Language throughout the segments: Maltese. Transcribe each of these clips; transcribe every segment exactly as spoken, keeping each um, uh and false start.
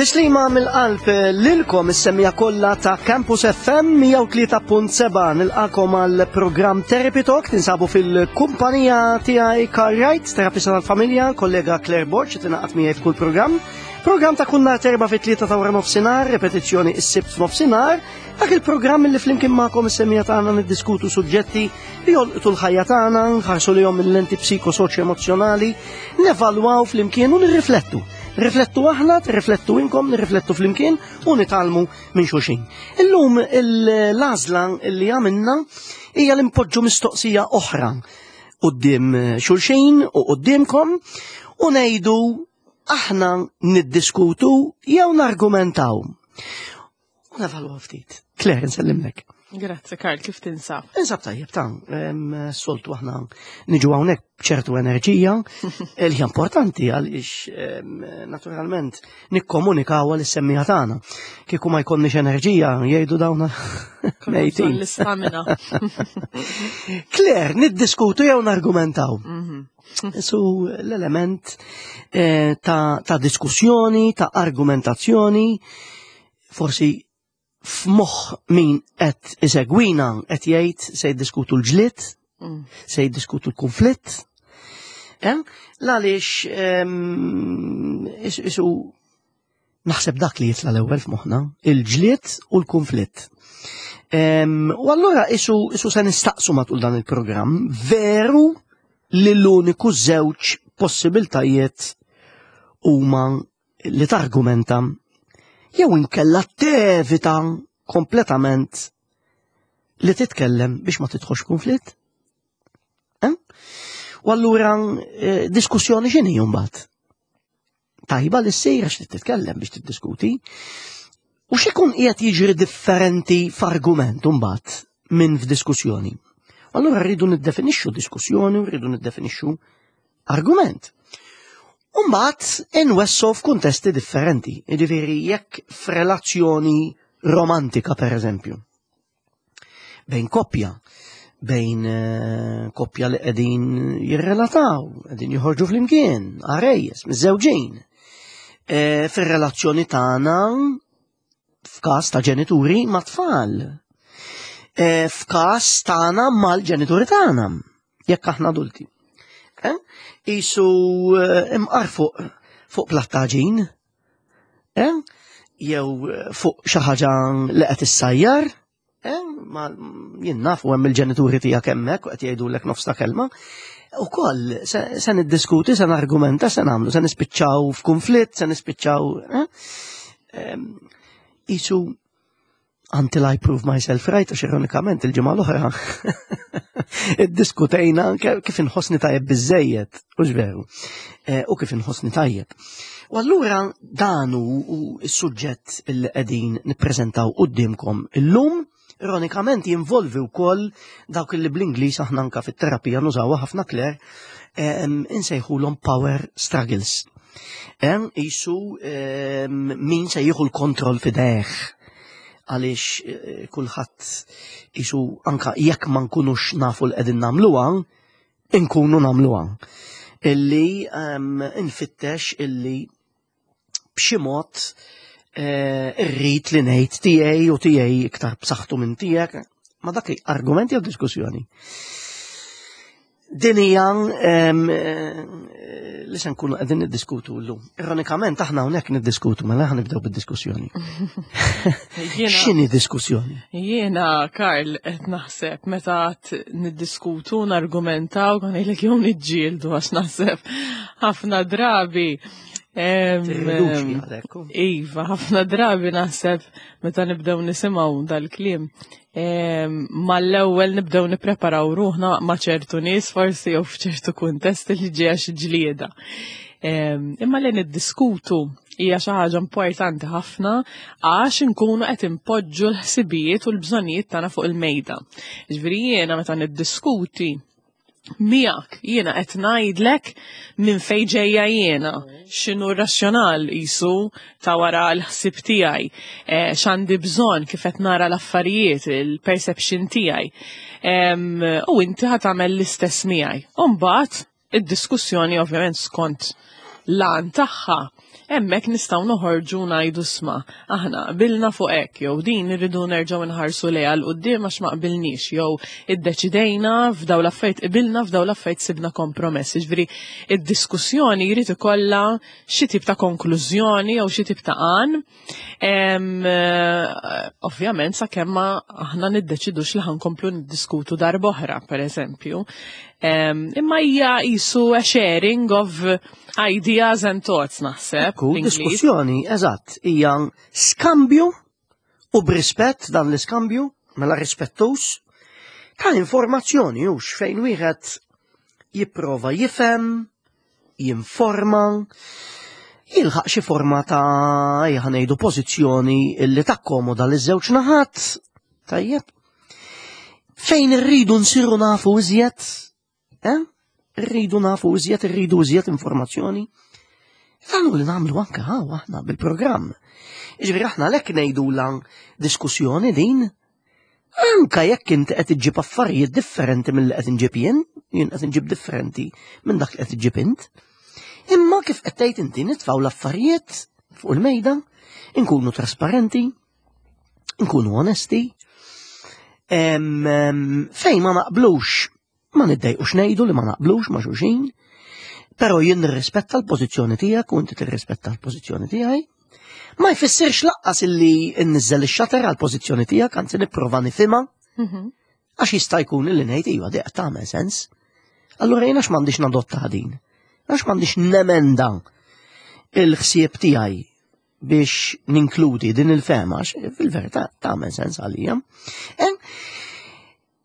Tislima mill-qalb lilkom is-semmiegħa kollha ta' Campus F M mija u tlieta punt seba'. Nilqagħkom għal programm Therapy Talk. Tinsabu fil-kumpanija tiegħi Carl Wright, terapista tal-familja, kollega Claire Borg tingħaqad miegħi f'kull programm. Programm ta' kull nhar t'Erbgħa fit-tlieta ta' wara nofsinhar, repetizzjoni is-Sibt f'nofsinhar. Dak il-programm li flimkien magħkom is-semmiegħa tagħna niddiskutu suġġetti li jolqtu l-ħajja tagħna, nħarsu lejhom mill-lenti psikosoċjo-emozjonali, nevalwaw flimkien u nirriflettu. Riflettu aħna, riflettu inkom, nirriflettu flimkien u nitgħallmu minn xulxin. Illum l-għażla li għamilna hija li npoġġu mistoqsija oħra quddiem xulxin u quddiemkom u ngħidu: aħna niddiskutu jew nargumentaw? U nevalwaw ftit. Claire, nsellimlek. Grazzi, Karl, kif tinsab? Insab tajjeb ta', soltu aħna niġu hawnhekk b'ċertu enerġija li hija importanti għaliex naturalment nikkomunikaw għal is-semmiegħa tagħna. Kieku ma jkollniex enerġija, jgħidu dawna mejtin. L-istamina. Claire, niddiskutu jew nargumentaw? Mhm. Su l-element eh, ta', ta' diskussjoni, ta' argumentazzjoni, forsi f'moħħ min qed isegwina qed jgħid se jiddiskutu l-ġlied, Mm. se jiddiskutu l-konflitt. Eh? Għaliex ehm, is- isu naħseb dak li jitla l-ewwel f'moħħna, il-ġlied u l-konflitt. Ehm, U allura isu, isu se nistaqsu matul dan il-programm, veru li l-uniku żewġ possibiltajiet huma li targumenta jew inkella tevita kompletament li titkellem biex ma tidħolx konflitt? Eh? U allura eh, diskussjoni x'inhi mbagħad? Tajba li ssir għax titkellem biex tiddiskuti. U x'ikun qiegħed jiġri differenti f'argument mbagħad minn f'diskussjoni? Allura rridu niddefinixxu diskussjoni u rridu niddefinixxu argument. Umbagħad inwessgħu f'kuntesti differenti. Jiġifieri jekk f'relazzjoni romantika, per eżempju, bejn koppja, bejn eh, koppja li qegħdin jirrelataw, qegħdin joħorġu flimkien, għarejjes, miżżewġin. E, Fir-relazzjoni tagħna f'każ ta' ġenituri ma' tfal. E, F'każ tagħna mal-ġenituri tagħna, jekk aħna adulti. Eh? Isu eh, imqar fuq fuq platt t'għaġin, eh? Jew eh, fuq xi ħaġa li qed issajjar, eh? Ma jien naf u hemm il-ġenituri tiegħek hemmhekk u qed jgħidulek nofs ta' kelma. Ukoll se, se niddiskuti, se nargumenta, se nagħmlu, se nispiċċaw f'kunflitt, se nispiċċaw. Eh? Em, Isu until I prove myself right, għax ironikament il-ġimgħa l-oħra iddiskutejna ke- kif inħossni tajjeb biżejjed, u veru, Eh, u kif inħossni tajjeb. U allura dan hu hu s-suġġett li qegħdin nippreżentaw quddiemkom illum, ironikament jinvolvi wkoll dawk li bl-Ingliż aħna anka fit-terapija nużawha ħafna, Claire, em, insejħulhom power struggles. Em, Isu em, min se jieħu l-kontroll f'idejh, għaliex eh, kulħadd isu anka jekk ma nkunux nafu l qegħdin nagħmluha, inkunu nagħmluha. Illi um, infittex illi b'xi mod eh, irrid li ngħid tiegħi u tiegħi iktar b'saħħtu minn tiegħek. Ma dak argumenti jew diskussjoni? Din hija em, eh, li se nkunu qegħdin niddiskutu llum. Ironikament aħna hawnhekk niddiskutu, mela aħna nibdew bid-diskussjoni. Jiena, X'inhi diskussjoni? jiena, Karl, qed naħseb meta qed niddiskutu, nargumentaw, kan ngħidlek jew niġġieldu, għax naħseb ħafna drabi. em, Tirriduċi għalhekk. Iva, ħafna drabi naħseb meta nibdew nisimgħu dal-kliem, em, Mal-ewwel nibdew nippreparaw ruħna ma' ċertu nies forsi jew f'ċertu kuntest li ġejja xi ġlieda. Em, Imma li niddiskutu hija xi ħaġa importanti ħafna għax inkunu qed impoġġu l-ħsibijiet u l-bżonnijiet tagħna fuq il-mejda. Ġifieri jiena meta niddiskuti miegħek, jiena qed ngħidlek minn fejn ġejja jiena, x'inhu r-razzjonal isu ta' wara l-ħsieb tiegħi, eh, x'għandi bżonn, kif qed nara l-affarijiet, il-perception tiegħi. Em, U inti ħa tagħmel l-istess miegħi. U mbagħad id-diskussjoni, ovvjament skont l-għan tagħha, Hemmhekk nistgħu noħorġu ngħidu sma, aħna qbilna fuq hekk jew din irridu nerġgħu nħarsu lejha 'l quddiem għax ma qbilniex jew iddeċidejna f'daw l-affarijiet qbilna f'daw l-affarijiet sibna kompromess. Jiġifieri id-diskussjoni jrid ikollha xi tip ta' konklużjoni jew xi tip ta' għan. Em, eh, Ovvjament sakemm ma aħna niddeċidux li ħa nkomplu niddiskutu darb'oħra, per eżempju. Em, Imma hija qisu a sharing of ideas and thoughts naħseb. Ekku, bl-Ingliż. diskussjoni, eżatt, hija skambju u b'rispett dan l-iskambju, mela rispettus, ta' informazzjoni hux fejn wieħed jipprova jifhem, jinforma, jilħaq xi forma ta' ejja ngħidu pożizzjoni illi takkomoda liż-żewġ naħat. Tajjeb. Fejn irridu nsiru nafu iżjed, eh? Irridu nafu iżjed, irridu iżjed informazzjoni. Dan hu li nagħmlu anke hawn aħna bil-programm. Jiġifieri aħna lek ngħidu lan diskussjoni din, anka jekk inti qed iġġib affarijiet differenti mill-li qed inġib jien, jien qed inġib differenti minn dak li qed iġġib int. Imma kif qed tgħid inti nitfgħu l-affarijiet fuq il-mejda, inkunu trasparenti, nkunu onesti, em, em, fejn ma naqblux, ma niddejqux ngħidu li ma naqblux ma' xulxin, però jien nirrispetta l-pożizzjoni tiegħek u inti tirrispetta l-pożizzjoni tiegħi. Ma jfissirx lanqas illi nniżżel ix-shutter għall-pożizzjoni tiegħek, anzi nipprova nifhimha, Mhm. għax jista' jkun illi ngħid iva dik tagħmel sens. Allura jien għax m'għandix nadotta din. Għax m'għandix nemenda il-ħsieb tiegħi biex ninkludi din il-fehma, għax fil-verità tagħmel sens għalija. En,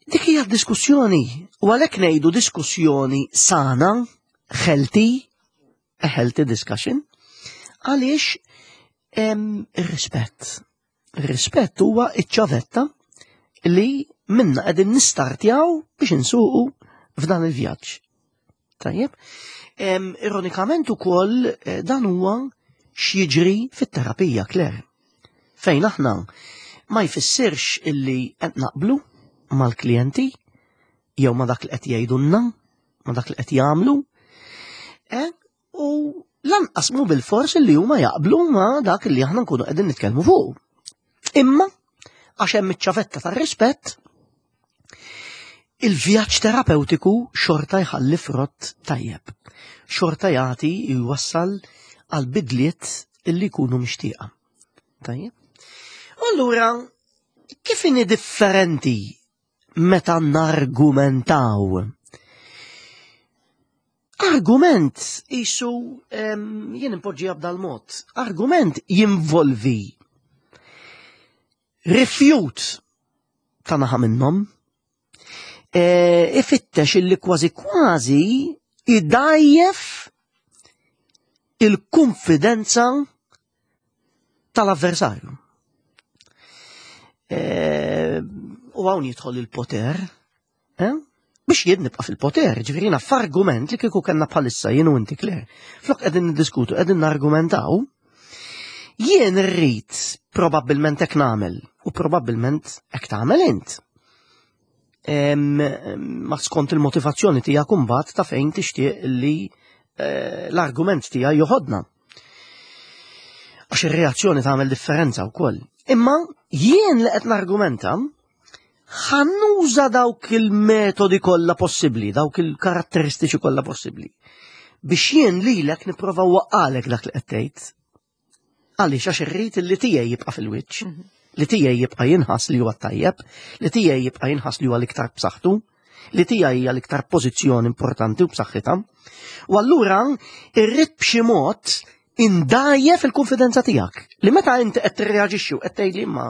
dik hija diskussjoni, u għalhekk ngħidu diskussjoni sana, healthy, a healthy discussion, għaliex em, ir-rispett. Ir-rispett huwa iċ-ċavetta li minna qegħdin nistartjaw biex insuqu f'dan il-vjaġġ. Tajjeb? Em, ironikament ukoll eh, dan huwa x'jiġri fit-terapija, Claire. Fejn aħna ma jfissirx illi qed naqblu mal-klijenti jew ma dak li qed jgħidulna, ma dak li qed jagħmlu, eh, u lanqas mu bil-fors illi huma jaqblu ma dak li aħna nkunu qegħdin nitkellmu fuq. Imma għax hemm iċ-ċavetta tar-rispett, il-vjaġġ terapeutiku xorta jħalli frott tajjeb. Xorta jagħti jwassal għal bidliet illi jkunu mixtieqa. Tajjeb. Allura, kif inhi differenti meta nargumentaw? Argument isu em, jien impoġġiha b'dal-mod. Argument jinvolvi rifjut ta' naħa minnhom, e, ifittex illi kważi kważi idajjef il-konfidenza tal-avversarju. E, u hawn jidħol il-poter, eh? Biex jien nibqa' fil-poter, ġifieri jiena f'argument li kieku kellna bħalissa jien u inti Claire. Flok qegħdin niddiskutu, qegħdin nargumentaw, jien irrid probabbilment hekk nagħmel u probabbilment hekk tagħmel int. Em, ma skont il-motivazzjoni tiegħek imbagħad ta' fejn tixtieq li eh, l-argument tiegħi joħodna. Għax ir-reazzjoni tagħmel differenza wkoll. Imma jien li qed nargumenta ħa nuża dawk il-metodi kollha possibbli, dawk il-karatteristiċi kollha possibbli. Biex jien lilek nipprova waqqalek dak li qed tgħid. Għaliex għax irrid li tiegħi jibqa' fil-wiċċ, li tiegħi jibqa' jinħass li huwa tajjeb, li tiegħi jibqa' jinħass li huwa l-iktar b'saħħtu, li tiegħi hija l-iktar pożizzjoni importanti u b'saħħitha. U allura irrid b'xi mod indajjef il-konfidenza tiegħek. Li meta inti qed tirreaġixxi u qed tgħidli imma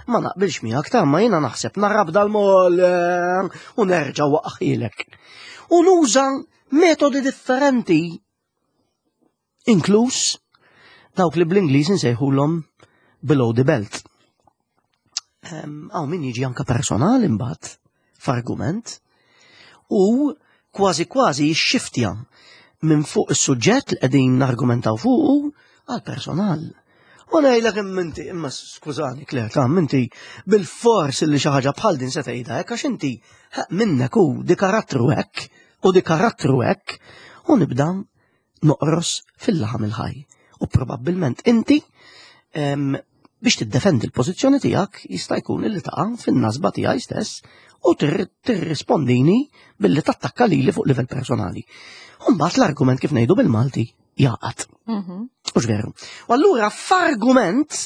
ma naqbilx miegħek ta' ma jiena naħseb narab dal-mol eh, u nerġa' waqaħilek. U nuża metodi differenti inkluż dawk li bl-Ingliż insejħulhom below the belt. Hawn min jiġi anka personali imbagħad f'argument u kważi kważi jixxiftja minn fuq is-suġġett li qegħdin nargumentaw fuqu għal personal. U ngħidlek imma inti, imma skużani Claire, ta' inti bil-fors li xi ħaġa bħal din se tgħidha hekk għax inti minnek u di karattru hekk u di karattru hekk u nibda noqros fil-laħam il-ħaj. U probabbilment inti em, biex tiddefendi l-pożizzjoni tiegħek jista' jkun illi taqa' fin-nasba tiegħi stess u tirri- tirrispondini billi tattakka lili fuq livell personali. Mbagħad l-argument, kif ngħidu bil-Malti, jaqgħad. Mhm. Hux veru? U allura f'argument,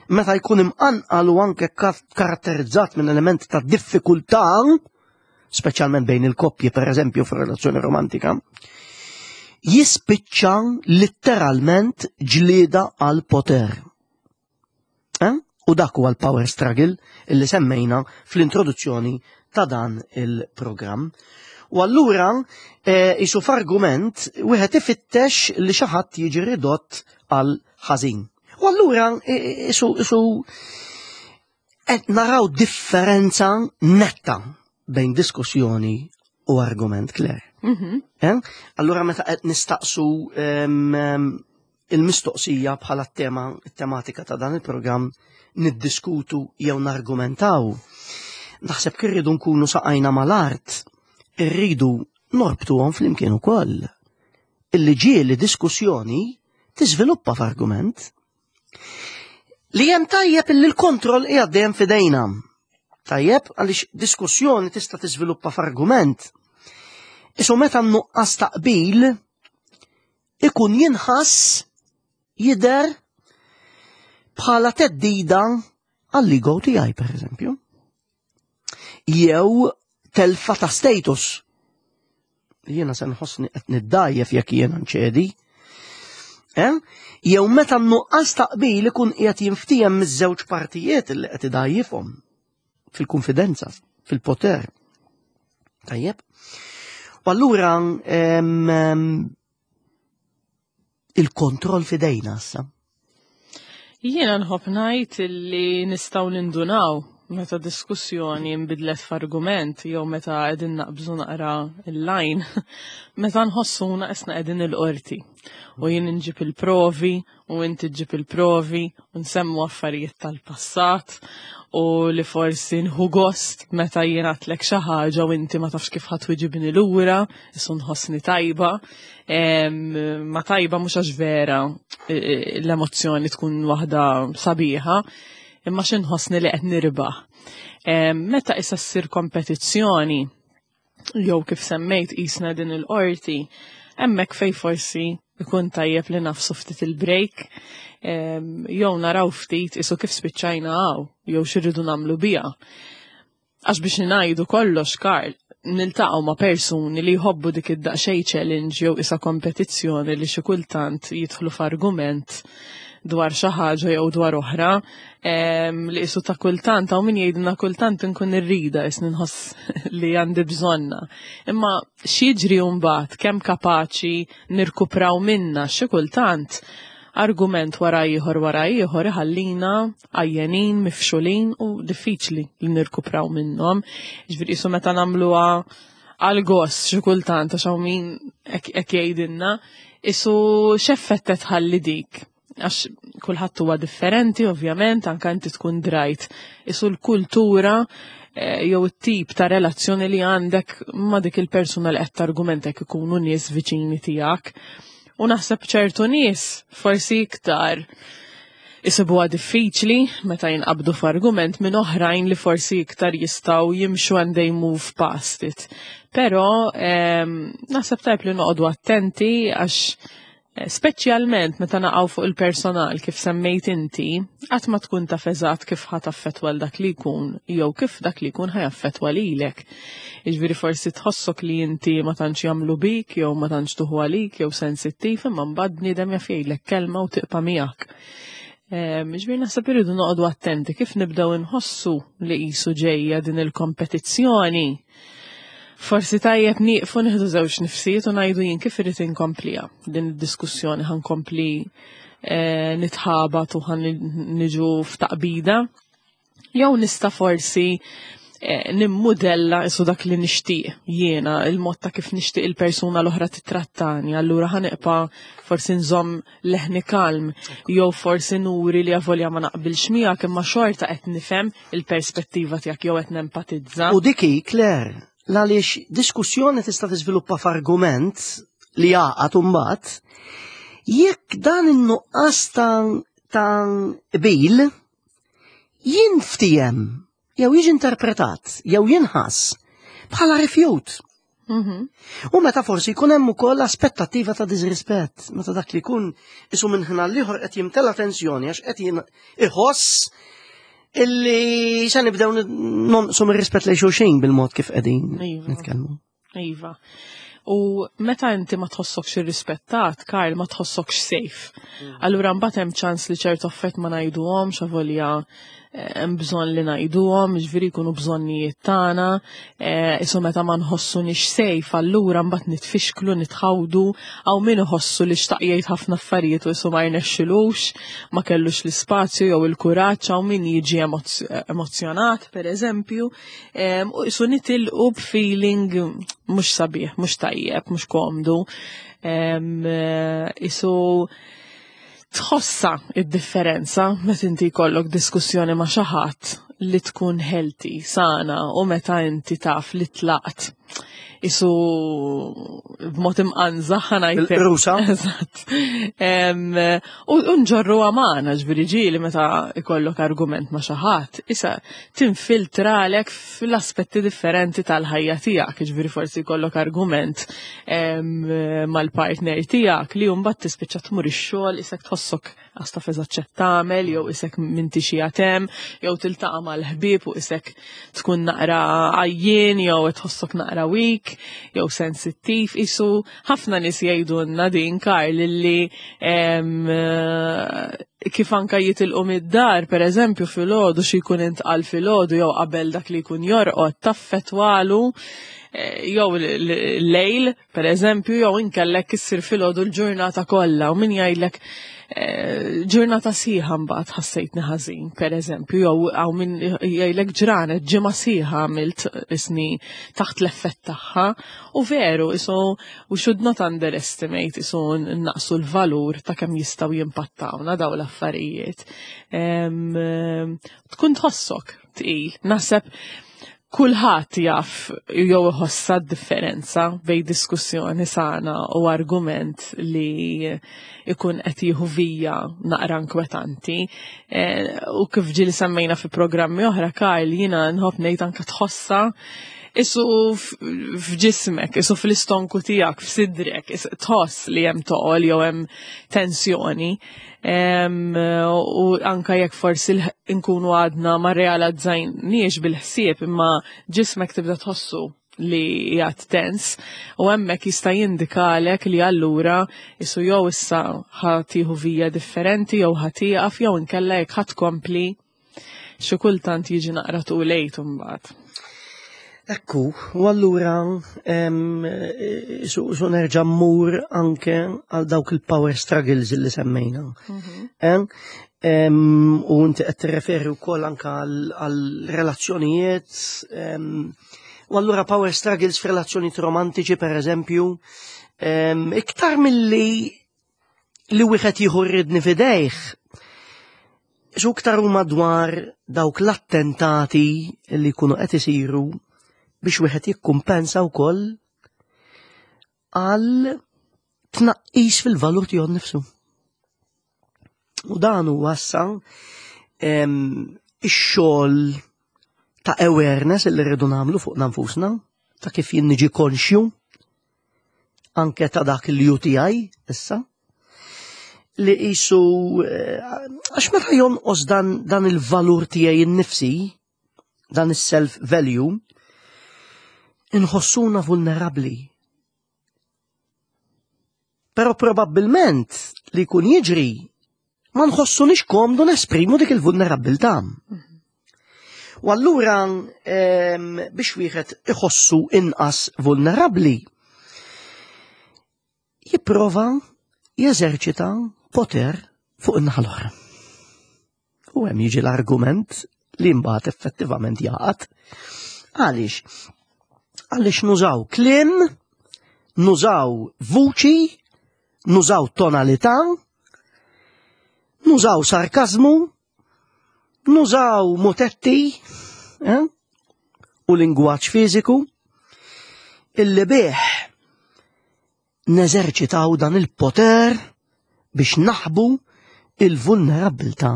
meta jkun imqanqal u anke ka- karatterizzat minn element ta' diffikultà, speċjalment bejn il-koppji, per eżempju f'relazzjoni romantika, jispiċċa letteralment ġlieda għal poter. Eh? U dak huwa l-power struggle illi semmejna fl-introduzzjoni ta' dan il-programm. U allura eh, isu f'argument wieħed ifittex li xi ħadd jiġi ridott għal ħażin. U allura eh, isu isu qed naraw differenza netta bejn diskussjoni u argument, Claire. Mhm. Eh? Allura meta qed nistaqsu em, em, il-mistoqsija bħala tema tematika ta' dan il-programm, niddiskutu jew nargumentaw, naħseb kirridu nkunu saqajna mal-art, irridu norbtuhom flimkien ukoll. Illi ġieli diskussjoni tiżviluppa f'argument. Li hemm tajjeb illi l-kontroll qiegħed dejjem f'idejna. Tajjeb, għaliex diskussjoni tista' tiżviluppa f'argument. Isu meta nuqqas taqbil ikun jinħass, jidher bħala theddida għall-ego tiegħi, per eżempju. Jew telfa ta' status. Jiena se nħossni qed niddajjef jekk jiena nċedi. Eh? Jew meta nuqqas taqbil ikun qiegħed jinftiehem miż-żewġ partijiet li qed idajjifhom fil-konfidenza, fil-poter. Tajjeb. U allura em, em, il-kontroll fidejna issa. Jiena nħobb ngħid li nistgħu nindunaw meta diskussjoni nbidlet f'argument jew meta qegħdin naqbżu naqra il-line, meta nħossuna qisna qegħdin il-qorti. U jien nġib il-provi u inti ġib il-provi u nsemmu affarijiet tal-passat u li forsi nħu gost meta jien għedtlek xi ħaġa u inti ma tafx kif ħa twiġibni lura, isu nħossni tajba. Em, ma tajba mhux għax vera e, e, l-emozzjoni tkun waħda sabiħa, imma xi nħossni li qed nirbaħ. Em, Meta issa ssir kompetizzjoni, jew kif semmejt qisna din il-qorti, hemmhekk fej forsi ikun tajjeb li nagħfsu ftit il-break, em, jew naraw ftit isu kif spiċċajna hawn, jew x'irridu nagħmlu biha. Għax biex ngħidu kollox, Karl, niltaqgħu ma' persuni li jħobbu dik id-daqsxejn challenge jew isa kompetizzjoni li xi kultant jidħlu f'argument dwar xi ħaġa jew dwar oħra, em, li isu ta' kultant hawn min jgħidilna kultant inkun irrida, is nħoss li għandi bżonna. Imma x'jiġri mbagħad, kemm kapaċi nirkupraw minna? Xi kultant argument wara ieħor wara ieħor iħallina għajjenin, mifxulin u diffiċli li nirkupraw minnhom. Ġifieri isu meta nagħmluha għal gost xi kultant, għax hawn min hekk hekk jgħidilna, isu x'effett tħalli dik? Għax kulħadd huwa differenti, ovvjament, anka inti tkun drajt. Isu l-kultura eh, jew it-tip ta' relazzjoni li għandek ma' dik il-persuna li qed targumentek, ikunu nies viċini tiegħek. U naħseb ċertu nies forsi iktar isibuha diffiċli meta jinqabdu f'argument minn oħrajn li forsi iktar jistgħu jimxu and they move past it. Però ehm, naħseb tajb li noqogħdu attenti għax eh, speċjalment meta naqgħu fuq il-personal, kif semmejt inti, qatt ma tkun taf eżatt kif ħa taffettwa l dak li jkun jew kif dak li jkun ħa jaffettwa lilek. Jiġifieri forsi tħossok li inti ma tantx jagħmlu bik jew ma tantx tuħu għalik jew sensittiv, imma mbagħad bniedem jaf jgħidlek kelma u tibqa' miegħek. Em, Ġifieri naħseb irridu noqogħdu attenti kif nibdew inħossu li qisu ġejja din il-kompetizzjoni. Forsi tajjeb nieqfu, nieħdu żewġ nifsijiet u ngħidu: jien kif irid inkompliha din id-diskussjoni? Ħa nkompli eh, nitħabat u ħa niġu f'taqbida? Jew nista' forsi eh, nimmudella isu dak li nixtieq jiena, il-mod ta' kif nixtieq il-persuna l-oħra titrattani, allura ħa nibqa' forsi nżomm leħni kalm, jew forsi nuri li avolja ma naqbilx miegħek imma xorta qed nifhem il-perspettiva tiegħek jew qed nempatizza. U diki, Claire, għaliex diskussjoni tista' tiżviluppa f'argument li jaqgħad mbagħad Jekk dan in-nuqqas ta' ta' qbil jinftiehem jew jiġi interpretat jew jinħass bħala rifjut. Mhm. U meta forsi jkun hemm ukoll aspettattiva ta' disrispett, meta dak li jkun isu minn ħin għall-ieħor qed jimtela tensjoni għax qed jien- iħoss illi se nibdew nonqsu mir-rispett lejn xulxin bil-mod kif qegħdin Iva. nitkellmu. Iva. U meta inti ma tħossokx irrispettat, Karl, ma tħossokx safe. Allura mbagħad hemm ċans li ċertu affett ma ngħiduhomx, avolja eh, hemm bżonn li ngħiduhom, ġifieri jkunu bżonnijiet tagħna, eh, isu meta ma nħossunix safe, allura mbagħad nitfixklu, nitħawdu, hawn min iħossu li xtaq jgħid ħafna affarijiet u isu ma jnexxilux, ma kellux l-ispazju jew il-kuraġġ, hawn min jiġi emozz- emozjonat, per eżempju, em, u isu nitilqu b'feeling mhux sabiħ, mhux tajjeb, mhux komdu. Em, eh, Isu tħossa id-differenza meta inti jkollok diskussjoni ma' xi ħadd li tkun healthy, sana, u meta inti taf li tlaqt. Isu b'mod imqanżaħ ħa ngħidlek. Il-qrusa. Eżatt. Em, U u nġorru għamana, ġifieri ġieli meta ikollok argument ma' xi ħadd, issa tinfiltralek fl-aspetti differenti tal-ħajja tiegħek, ġifieri forsi jkollok argument em, mal-partner tiegħek li mbagħad tispiċċa tmur ix-xogħol isek tħossok għax taf eżatt x'qed tagħmel jew isek minti xi hemm, jew tiltaqa' mal-ħbieb u isek tkun naqra għajjien jew tħossok naqra weak jew sensittiv. Isu ħafna nies jgħidulna din, Karl, illi em, eh, kif anka jitilqu mid-dar, per eżempju, filgħodu xi jkun intqal filgħodu jew qabel dak li jkun jorqod taffetwalu eh, jew l-lejl, per eżempju, jew inkellek issir filgħodu l-ġurnata kollha u min jgħidlek eh, ġurnata sħiħa mbagħad ħassejtni ħażin, per eżempju, jew hawn min jgħidlek ġranet ġimgħa sħiħa għamilt isni taħt l-effett tagħha. U veru, isu we should not underestimate, isu naqsu l-valur ta' kemm jistgħu jimpattawna daw l-affarijiet. Em, em, Tkun tħossok tqil. Naħseb kulħadd jaf jew iħossa d-differenza bejn diskussjoni sana u argument li ikun qed jieħu vija naqra inkwetanti. Eh, U kif ġieli semmejna fi programmi oħra, Karl, jiena nħobb ngħid anke tħossa isu f- f'ġismek, isu fl-istonku tiegħek, f'sidrek, is- tħoss li hemm toqol jew hemm tensjoni. Em, U anka jekk forsi l- nkunu għadna ma realizzajniex bil-ħsieb imma ġismek tibda tħossu li qiegħed tens u hemmhekk jista' jindikalek li allura isu jew issa ħa tieħu vija differenti jew ħa tieqaf jew inkella jekk ħa tkompli xi kultant jiġi naqra too late imbagħad. Ekku, u allura em, su, su nerġa' mmur anke għal dawk il-power struggles li semmejna. Em, em, u inti qed tirreferi wkoll anke għal għal relazzjonijiet em, u allura power struggles f'relazzjonijiet romantiċi per eżempju, em, iktar milli li wieħed jieħu r-riedni f'idejh, su iktar huma dwar dawk l-attentati li jkunu qed isiru biex wieħed jikkumpensa wkoll għal tnaqqis fil-valur tiegħu nnifsu. U dan huwa issa em, ix-xogħol ta' awareness li rridu nagħmlu fuq nfusna, ta' kif jien niġi konxju anke ta' dak il-U T I issa li qisu eh, għax meta jonqos dan, dan il-valur tiegħi innifsi, dan is-self value, inħossuna vulnerabli. Però probabbilment li jkun jiġri ma nħossunix komdu nesprimu dik il-vulnerabilità. U allura em, biex wieħed iħossu inqas vulnerabli, jipprova jeżerċita poter fuq in-naħa l-oħra. U hemm jiġi l-argument li mbagħad effettivament jaqgħad. Għaliex? Għaliex nużaw kliem, nużaw vuċi, nużaw tonalità, nużaw sarkazmu, nużaw mutetti, eh? U lingwaġġ fiżiku, illi bih neżerċitaw dan il-poter Biex naħbu il-vulnerabbiltà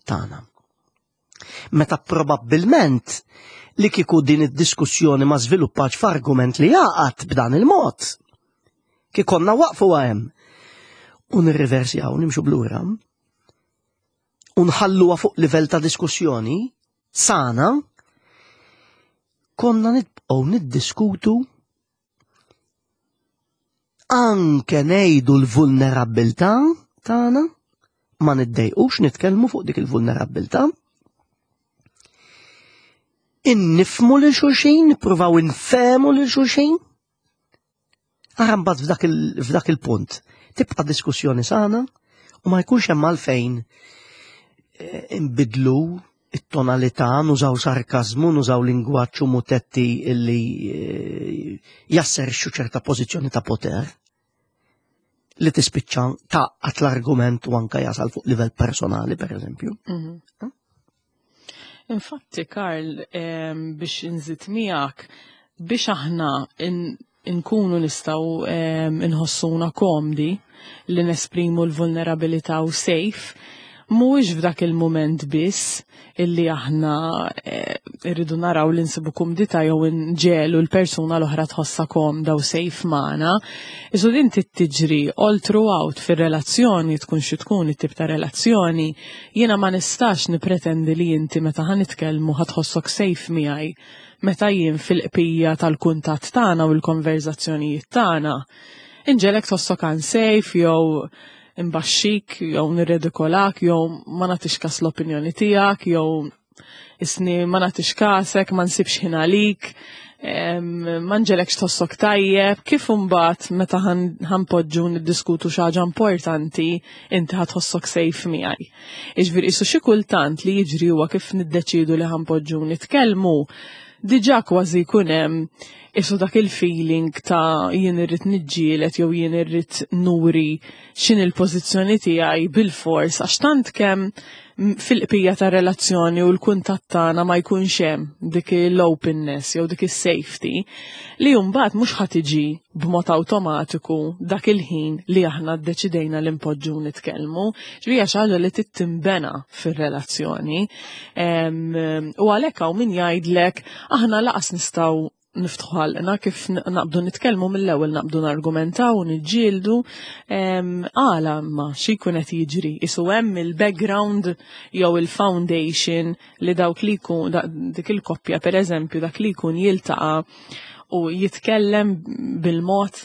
tagħna. Meta probabbilment li kieku din id-diskussjoni ma żviluppax f'argument li jaqgħad b'dan il-mod, kikonna waqfu hemm u nirriversjaw, nimxu b'lura u nħalluha fuq livell ta' diskussjoni sana, konna nibqgħu niddiskutu, anke ngħidu l-vulnerabbiltà tagħna, ma niddejqux nitkellmu fuq dik il-vulnerabbiltà. Innifmu lil xulxin, nippruvaw infehmu lil xulxin. Ara mbagħad f'dak il- il-punt tibqa' diskussjoni sana u ma jkunx hemm għalfejn eh, imbidlu it-tonalità, nużaw sarkazmu, nużaw lingwaġġ u mutetti illi eh, jasserixxu ċerta pożizzjoni ta' poter li tispiċċa taqgħat l-argument u anka jasal fuq livell personali, per eżempju. Mhm. Infatti, Karl, biex nżid miegħek, biex aħna nkunu nistgħu nħossuna komdi li nesprimu l-vulnerabilità u safe, mhuwiex f'dak il-moment biss illi aħna eh, irridu naraw li nsibu kumdità jew nġelu l-persuna l-oħra tħossa komda u safe magħna. Isu din tiġri all throughout fir-relazzjoni, tkun xi tkun it-tip ta' relazzjoni, jiena ma nistax nipretendi li inti meta ħa nitkellmu ħa tħossok safe miegħi meta jien fil-qpija tal-kuntatt tagħna u l-konverzazzjonijiet tagħna. Inġegħlek tħossok unsafe jew imbaxxik, jew nirredikolak, jew ma nagħtix kas l-opinjoni tiegħek, jew isni ma nagħtix kasek, ma nsibx ħin għalik, ma nġegħlekx tħossok tajjeb, kif imbagħad meta ħa npoġġu niddiskutu xi ħaġa importanti inti ħa tħossok safe miegħi? Iġifieri isu xi kultant li jiġri huwa kif niddeċidu li ħa npoġġu nitkellmu, diġà kważi jkun hemm isu dak il-feeling ta' jien irrid niġġielet jew jien irrid nuri x'in il-pożizzjoni tiegħi bil-fors, għax tant kemm fil-qpija ta' relazzjoni u l-kuntatt tagħna ma jkunx hemm dik l-openness jew dik is-safety li mbagħad mhux ħa tiġi b'mod awtomatiku dak il-ħin li aħna ddeċidejna li npoġġu nitkellmu. Ġifieri xi ħaġa li tittimbena fir-relazzjoni. U għalhekk hawn min jgħidlek aħna laqas nistgħu niftħu ħalqna, kif naqbdu nitkellmu mill-ewwel naqbdu nargumentaw u niġġieldu. Għala imma xi jkun qed jiġri? Isu hemm il-background jew il-foundation li dawk li jkun dik il-koppja, pereżempju, dak li jkun jiltaqa' u jitkellem bil-mod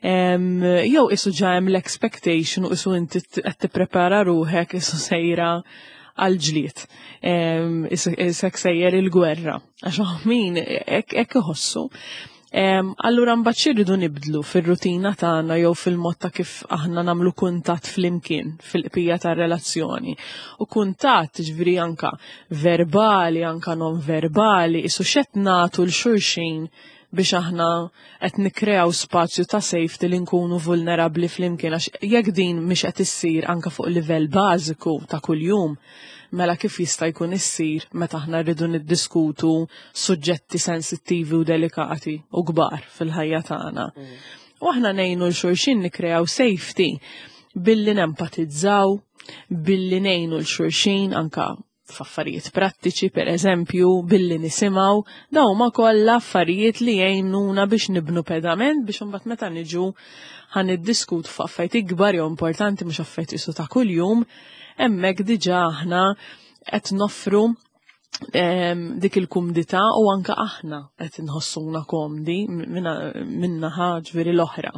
jew isu ġa hemm l-expectation u isu inti qed tipprepara ruħek isu sejra għal-ġlied. Isek sejjer il-gwerra. Għax min hekk iħossu. Allura mbagħad xi nibdlu fir-rutina tagħna jew fil-mod ta' kif aħna nagħmlu kuntatt flimkien fil-qpija tar-relazzjoni? U kuntatt ġifieri anka verbali, anka non verbali, isu x'qed nagħtu 'l xulxin biex aħna qed nikkreaw spazju ta' safety li nkunu vulnerabbli flimkien, għax jekk din mhix qed issir anka fuq livell bażiku ta' kuljum, mela kif jista' jkun issir meta aħna rridu niddiskutu suġġetti sensittivi u delikati u kbar fil-ħajja tagħna? Mm. U aħna ngħinu 'l xulxin nikkreaw safety billi nempatizzaw, billi ngħinu 'l xulxin anka f'affarijiet prattiċi, per eżempju, billi nisimgħu, dawn huma kollha affarijiet li jgħinuna biex nibnu pedament biex imbagħad meta niġu ħa niddiskutu f'affarijiet ikbar jew importanti, mhux affarijiet isu ta' kuljum, hemmhekk diġà aħna qed noffru dik il-kumdità u anka aħna qed inħossuna komdi minnaħa ġifieri l-oħra.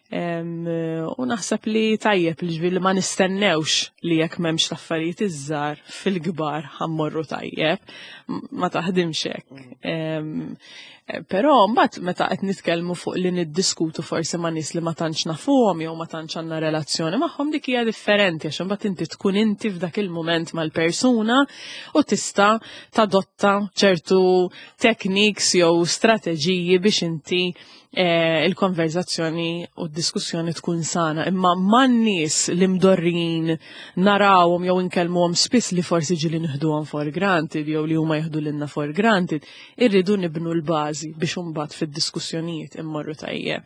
U naħseb li tajjeb li ġifieri ma nistennewx li jekk m'hemmx l-affarijiet iż-żgħar, fil-kbar ħa mmorru tajjeb, ma taħdimx hekk. Però mbagħad meta qed nitkellmu fuq li niddiskutu forsi ma' nies li ma tantx nafuhom jew ma tantx għandna relazzjoni magħhom, dik hija differenti, għax imbagħad inti tkun inti f'dak il-mument mal-persuna u tista' tadotta ċertu techniques jew strateġiji biex inti eh, il-konverzazzjoni u d-diskussjoni tkun sana. Imma man-nies li mdorrin narawhom jew inkellmuhom spiss, li forsi ġili nieħduhom for granted jew li huma jieħdu lilna for granted, irridu nibnu l-bażi biex imbagħad fid-diskussjonijiet immorru tajjeb.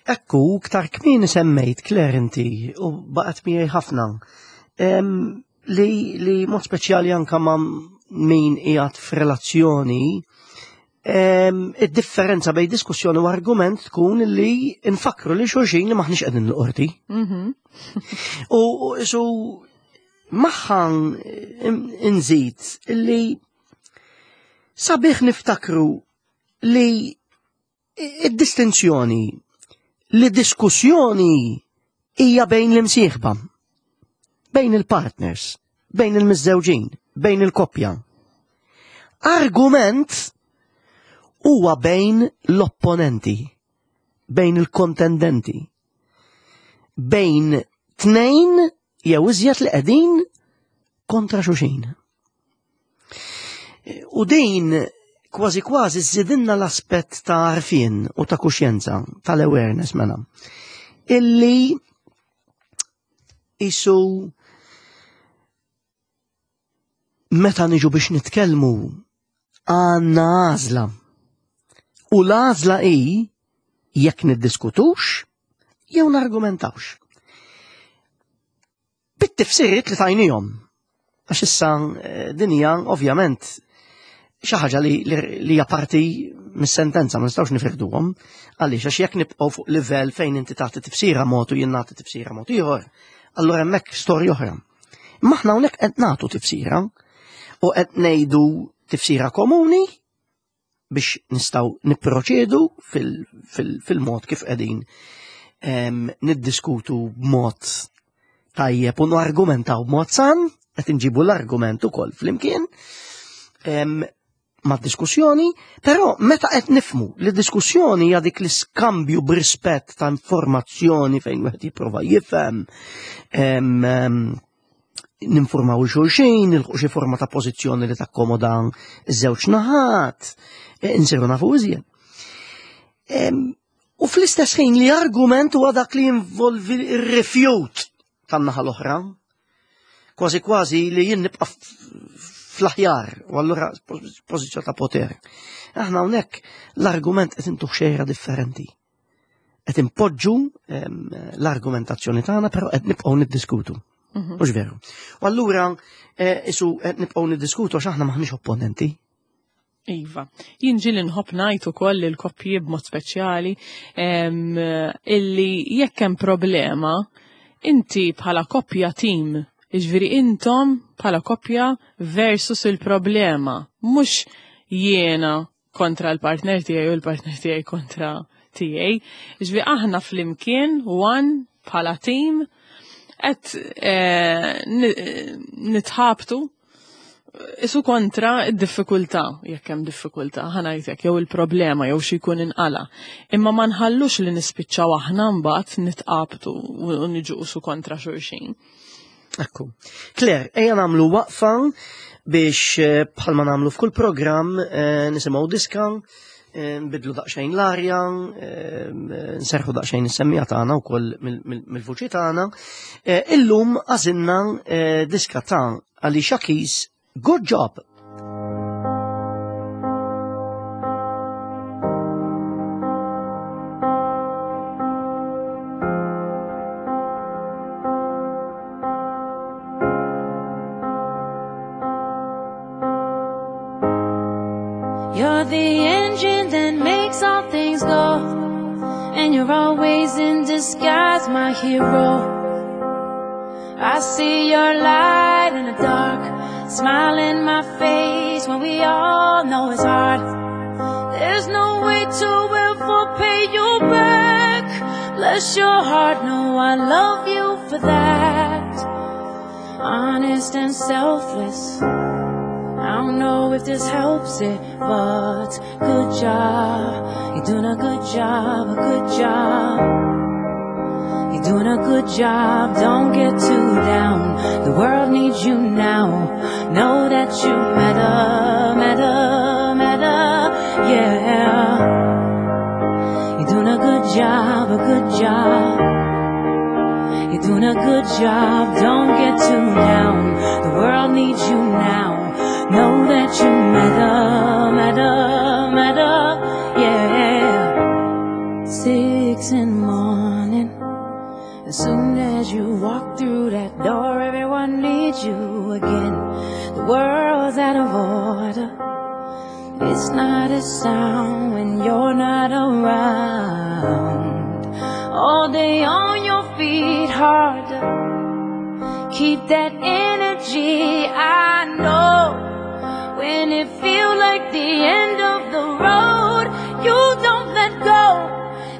Ekku, ktar kmieni semmejt, Claire, inti, u baqgħet miegħi ħafna, li, li mod speċjali anka ma' min qiegħed f'relazzjoni, id-differenza bejn diskussjoni u argument tkun li nfakru li xulxin li maħniex qegħdin l-qorti. Mhm. U su maħħan inżid li sabiħ niftakru li id-distinzjoni li diskussjoni hija bejn l-imsieħba, bejn il-partners, bejn il-miżżewġin, bejn il-koppja. Argument huwa bejn l-opponenti, bejn il-kontendenti, bejn tnejn jew iżjed li qegħdin kontra xulxin. U din kważi kważi żidinna l-aspett ta' għarfien u ta' kuxjenza, tal-awareness mela, illi isu meta niġu biex nitkellmu għandna għażla. U l-għażla hi jekk niddiskutux jew nargumentawx. Bit-tifsiriet li tajnihom. Għax issa din hija ovvjament xi ħaġa li hija parti mis-sentenza, ma nistgħux nifirduhom. Għaliex għax jekk nibqgħu fuq livell fejn inti tagħti tifsira mod u jien nagħti tifsira mod ieħor, allura hemmhekk storja oħra. Imma aħna hawnhekk qed nagħtu tifsira u qed ngħidu tifsira komuni biex nistgħu nipproċedu fil-mod kif qegħdin niddiskutu b'mod tajjeb u nargumentaw b'mod san, qed inġibu l-argument ukoll flimkien ma' diskussjoni, però meta qed nifmu li diskussjoni hija dik l-iskambju b'rispett ta' informazzjoni fejn wieħed jipprova jifhem, ninformaw xulxin, nilħu xi forma ta' pożizzjoni li takkomoda ż-żewġ naħat, insiru nafu iżjed. U fl-istess ħin li argument huwa dak li jinvolvi r-rifjut tan-naħa l-oħra, kważi kważi li jien nibqa' fl-aħjar, u allura pożizzjoni ta' poter. Aħna hawnhekk l-argument qed intuh xejra differenti. Qed impoġġu l-argumentazzjoni tagħna, però qed nibqgħu niddiskutu. Mhux veru. U allura isu qed nibqgħu niddiskutu għax aħna maħniex opponenti. Iva, jien ġieli nħobb ngħid ukoll il-koppji b'mod speċjali illi jekk hemm problema, inti bħala koppja team, jiġifieri intom bħala koppja versus il-problema, mhux jiena kontra l-partner tiegħi u l-partner tiegħi kontra tiegħi. Jiġifieri aħna flimkien one bħala team qed nitħabtu isu kontra id-diffikultà, jekk hemm diffikultà, ħa ngħidlek, jew il-problema jew xi jkun inqala. Imma ma nħallux li nispiċċaw aħna mbagħad nitqabtu u niġu isu kontra xulxin. Ekku. Claire, ejja nagħmlu waqfa biex bħalma nagħmlu f'kull programm nisimgħu diska, nbidlu daqsxejn l-arja, nserħu daqsxejn is-semmija tagħna wkoll mill-vuċi tagħna. Illum għażilna diska ta' Alicia Keys, Good Job. You're the engine that makes all things go, and you're always in disguise, my hero. I see your light in the dark, smile in my face when we all know it's hard. There's no way to ever pay you back. Bless your heart, no, I love you for that. Honest and selfless, I don't know if this helps it, but good job. You're doing a good job, a good job. You're doing a good job, don't get too down. The world needs you now. Know that you matter, matter, matter, yeah. You're doing a good job, a good job. You're doing a good job, don't get too down. The world needs you now. Know that you matter, matter, matter, yeah. Six in the morning, It's not a sound when you're not around. All day on your feet, hard to keep that energy. I know when it feels like the end of the road, you don't let go,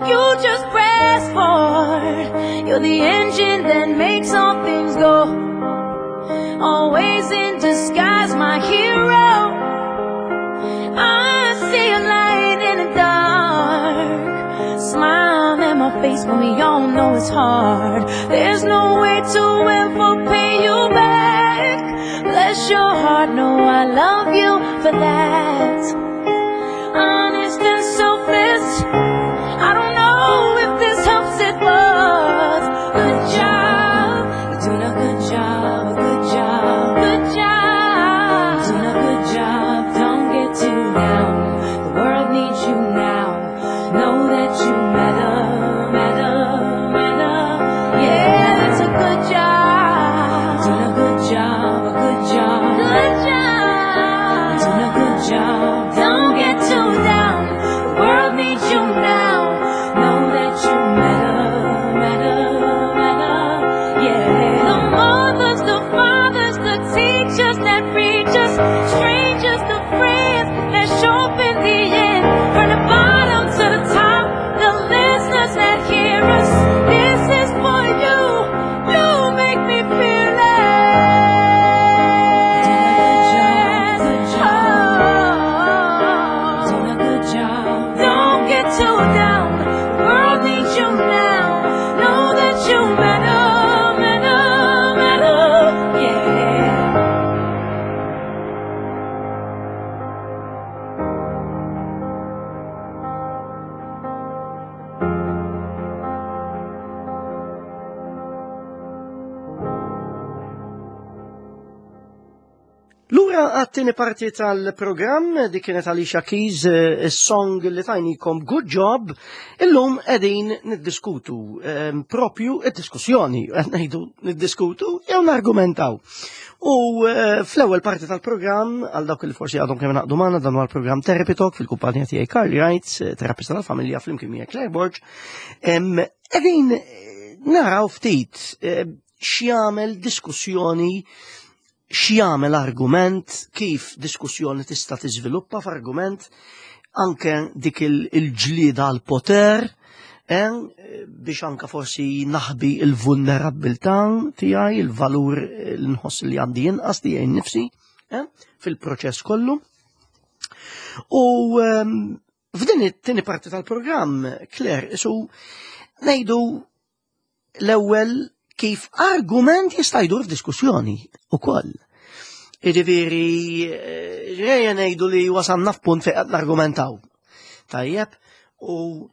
you just press forward. You're the engine that makes all things go. Always in disguise, my hero. I see a light in the dark. Smile at my face when we all know it's hard. There's no way to ever pay you back. Bless your heart, no, I love you for that. Honest and selfless, I don't know if this helps it, but good job, you're doing a good job, a good job, good job, you're doing a good job. Don't get too down, the world needs you now. Know that you matter, matter, matter. Yeah, it's a good job, doing a good job, a good job, good job, doing a good job. Don't get too down, the world needs you now. Know that you matter, matter, matter. Yeah. The mothers, the fathers, the teachers that reach us, strangers, the friends that show up in the end. From the bottom to the top, the listeners that hear us. This is for you. You make me feel Doing a good job, Oh. doing a good job. Don't get too down. The world needs you now. Know that you matter, matter, matter. Yeah. Lura għat-tieni parti tal-programm, dik kienet Alicia Keys, eh, is-song li tajnikom Good Job, illum qegħdin niddiskutu, eh, propju id-diskussjoni, qed ngħidu niddiskutu jew nargumentaw. U eh, fl-ewwel parti tal-programm, għal dawk li forsi għadhom kemm naqdu magħna, dan huwa l-programm Therapy Talk fil-kumpanija tiegħi Carly Wright, eh, terapista tal-familja flimkien miegħek Claire Borg. Em, Qegħdin eh, naraw ftit eh, x'jagħmel diskussjoni, x'jagħmel argument, kif diskussjoni tista' tiżviluppa f'argument, anke dik il- il-ġlieda għal poter, eh, biex anka forsi naħbi il-vulnerabbiltà tiegħi, il-valur eh, li nħoss li għandi inqas tiegħi nnifsi, eh, fil-proċess kollu. U ehm, f'din it-tieni parti tal-programm, Claire, isu ngħidu l-ewwel kif argument jista' jdur f'diskussjoni ukoll. Jiġifieri, eh, ejja ngħidu li wasalna f'punt fejn qed nargumentaw. Tajjeb, u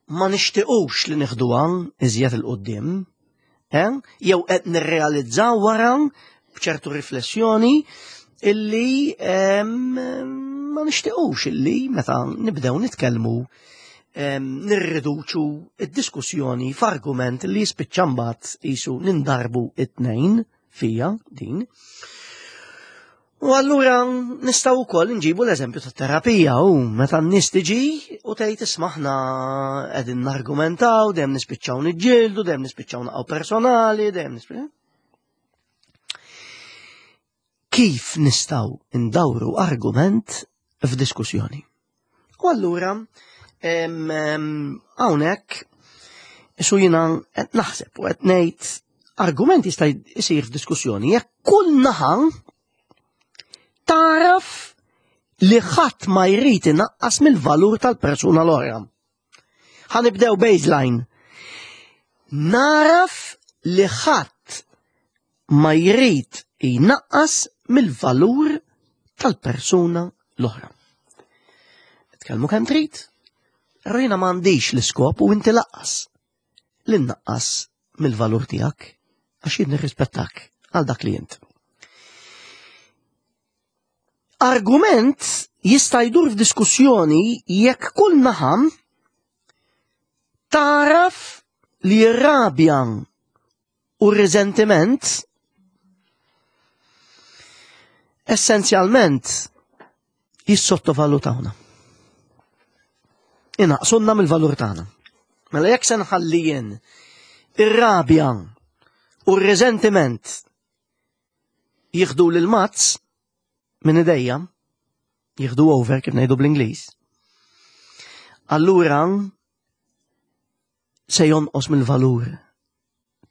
ma nixtiequx li nieħduha iżjed 'il quddiem, eh? Jew qed nirrealizzaw wara b'ċertu riflessjoni illi em, ma nixtiequx illi meta nibdew nitkellmu em, nirriduċu id-diskussjoni f'argument li jispiċċa mbagħad qisu nindarbu it-tnejn fija din. U allura nistgħu wkoll nġibu l-eżempju tat-terapija u meta n-nies tiġi u tgħid isma' aħna qegħdin nargumentaw, dejjem nispiċċaw niġġieldu, dejjem nispiċċaw naqgħu personali, dejjem nispiċċaw. Kif nistgħu ndawru argument f'diskussjoni? U allura em, em, hawnhekk isu jiena qed naħseb u qed ngħid argument jista' jsir f'diskussjoni jekk kull naħa taraf li ħadd ma jrid inaqqas mill-valur tal-persuna l-oħra. Ħa nibdew baseline. Naraf li ħadd ma jrid inaqqas mill-valur tal-persuna l-oħra. Tkellmu kemm trid, però jiena m'għandix l-iskop u inti laqqas li nnaqqas mill-valur tiegħek għax jien nirrispettak għal dak li int. Argument jista' jdur f'diskussjoni jekk kull naħa taraf li r-rabja u r-riżentiment essenzjalment Jissottovalutawna. Inaqqsuna mill-valur tagħna. Mela jekk se nħalli jien ir-rabja u r-reżentiment jieħdu lil mazz minn idejja, jieħdu over kif ngħidu bl-Ingliż, allura se jonqos mill-valur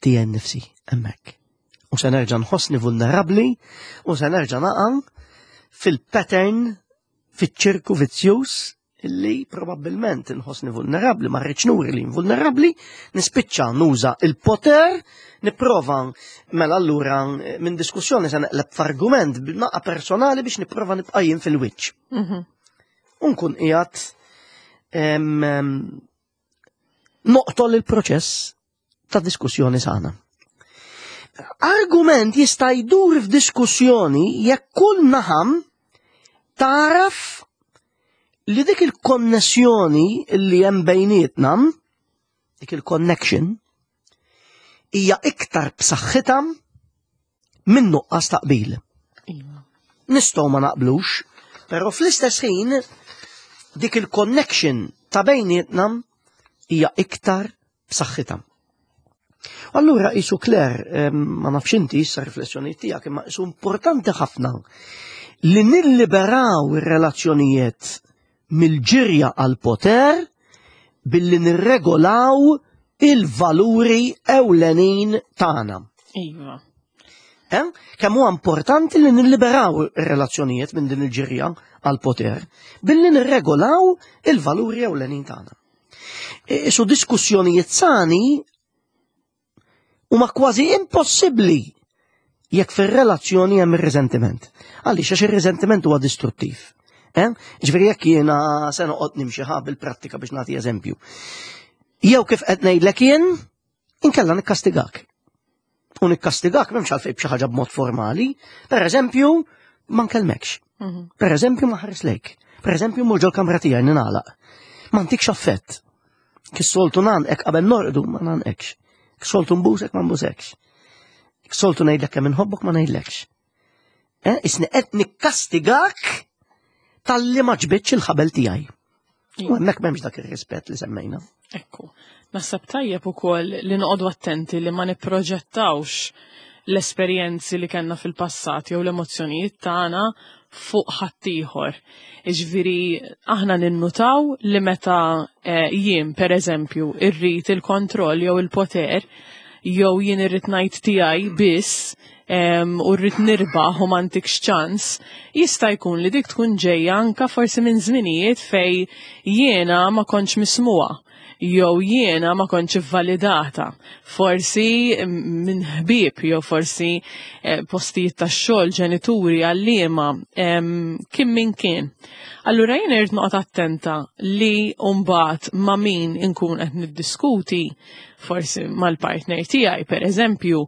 tiegħi nnifsi hemmhekk. U se nerġa' nħossni vulnerabbli u se nerġa' naqa' fil-pattern, fiċ-ċirku vizzjuż illi probabbilment nħossni vulnerabbli, ma rridx nuri li vulnerabbli, nispiċċa nuża il-poter, nipprova mela allura minn diskussjoni se neqleb f'argument naqa personali biex nipprova nibqa' jien fil-wiċċ. Mhm. U nkun qiegħed em, em, noqtol il-proċess ta' diskussjoni sana. Argument jista' jdur f'diskussjoni jekk kull naħa taraf li dik il-konnessjoni li hemm bejnietna, dik il-connection, hija iktar b'saħħitha minn nuqqas ta' qbil. Iva. Nistgħu ma naqblux, però fl-istess ħin dik il-connection ta' bejnietna hija iktar b'saħħitha. Allura isu Claire, em, ma nafx inti issa riflessjoni tiegħek, imma isu importanti ħafna li nilliberaw ir-relazzjonijiet mill-ġirja għal poter billi nirregolaw il-valuri ewlenin tagħna. Iva. Eh? Kemm huwa importanti li nilliberaw ir-relazzjonijiet minn din il-ġirja għal poter billi nirregolaw il-valuri ewlenin tagħna. E- Isu diskussjonijiet sani huma kważi impossibbli jekk fir-relazzjoni hemm ir-riżentiment. Għaliex għax ir-riżentiment huwa distruttiv. Eh? Ġifieri jekk jiena se noqgħod nimxi ħa bil-prattika biex nagħti eżempju. Jew kif qed ngħidlek jien, inkella nikkastigak. U nikkastigak m'hemmx għalfejn b'xi ħaġa b'mod formali. Per eżempju, ma nkellmekx. Mhm. Per eżempju, ma nħares lejk. Per eżempju, mur ġol-kamra tiegħi ningħalaq. Ma ntikx affett. Kif soltu ngħannqek qabel norqdu ma ngħannqekx. Kif soltu nbusek ma nbusekx. Kif soltu ngħidlek kemm inħobbok ma ngħidlekx. Eh, isni qed nikkastigak talli ma ġbidx il-ħabel tiegħi. U hemmhekk m'hemmx dak ir-rispett li semmejna. Ekku. Naħseb tajjeb ukoll li noqogħdu attenti li ma nipproġettawx l-esperjenzi li kellna fil-passat jew l-emozzjonijiet tagħna fuq ħaddieħor. Iġifieri aħna ninnutaw li meta eh, jien per eżempju irrid il-kontroll jew il-poter jew jien irrid ngħid tiegħi biss em, u rrid nirbaħ u m'għandikx ċans, jista' jkun li dik tkun ġejja anka forsi minn żminijiet fej jiena ma kontx mismuha jew jiena ma kontx validata. Forsi minn ħbieb jew forsi eh, postijiet tax-xogħol, ġenituri, għalliema, em, kien min kien. Allura jien irid noqgħod attenta li mbagħad ma' min inkun qed niddiskuti, forsi mal-partner tiegħi per eżempju,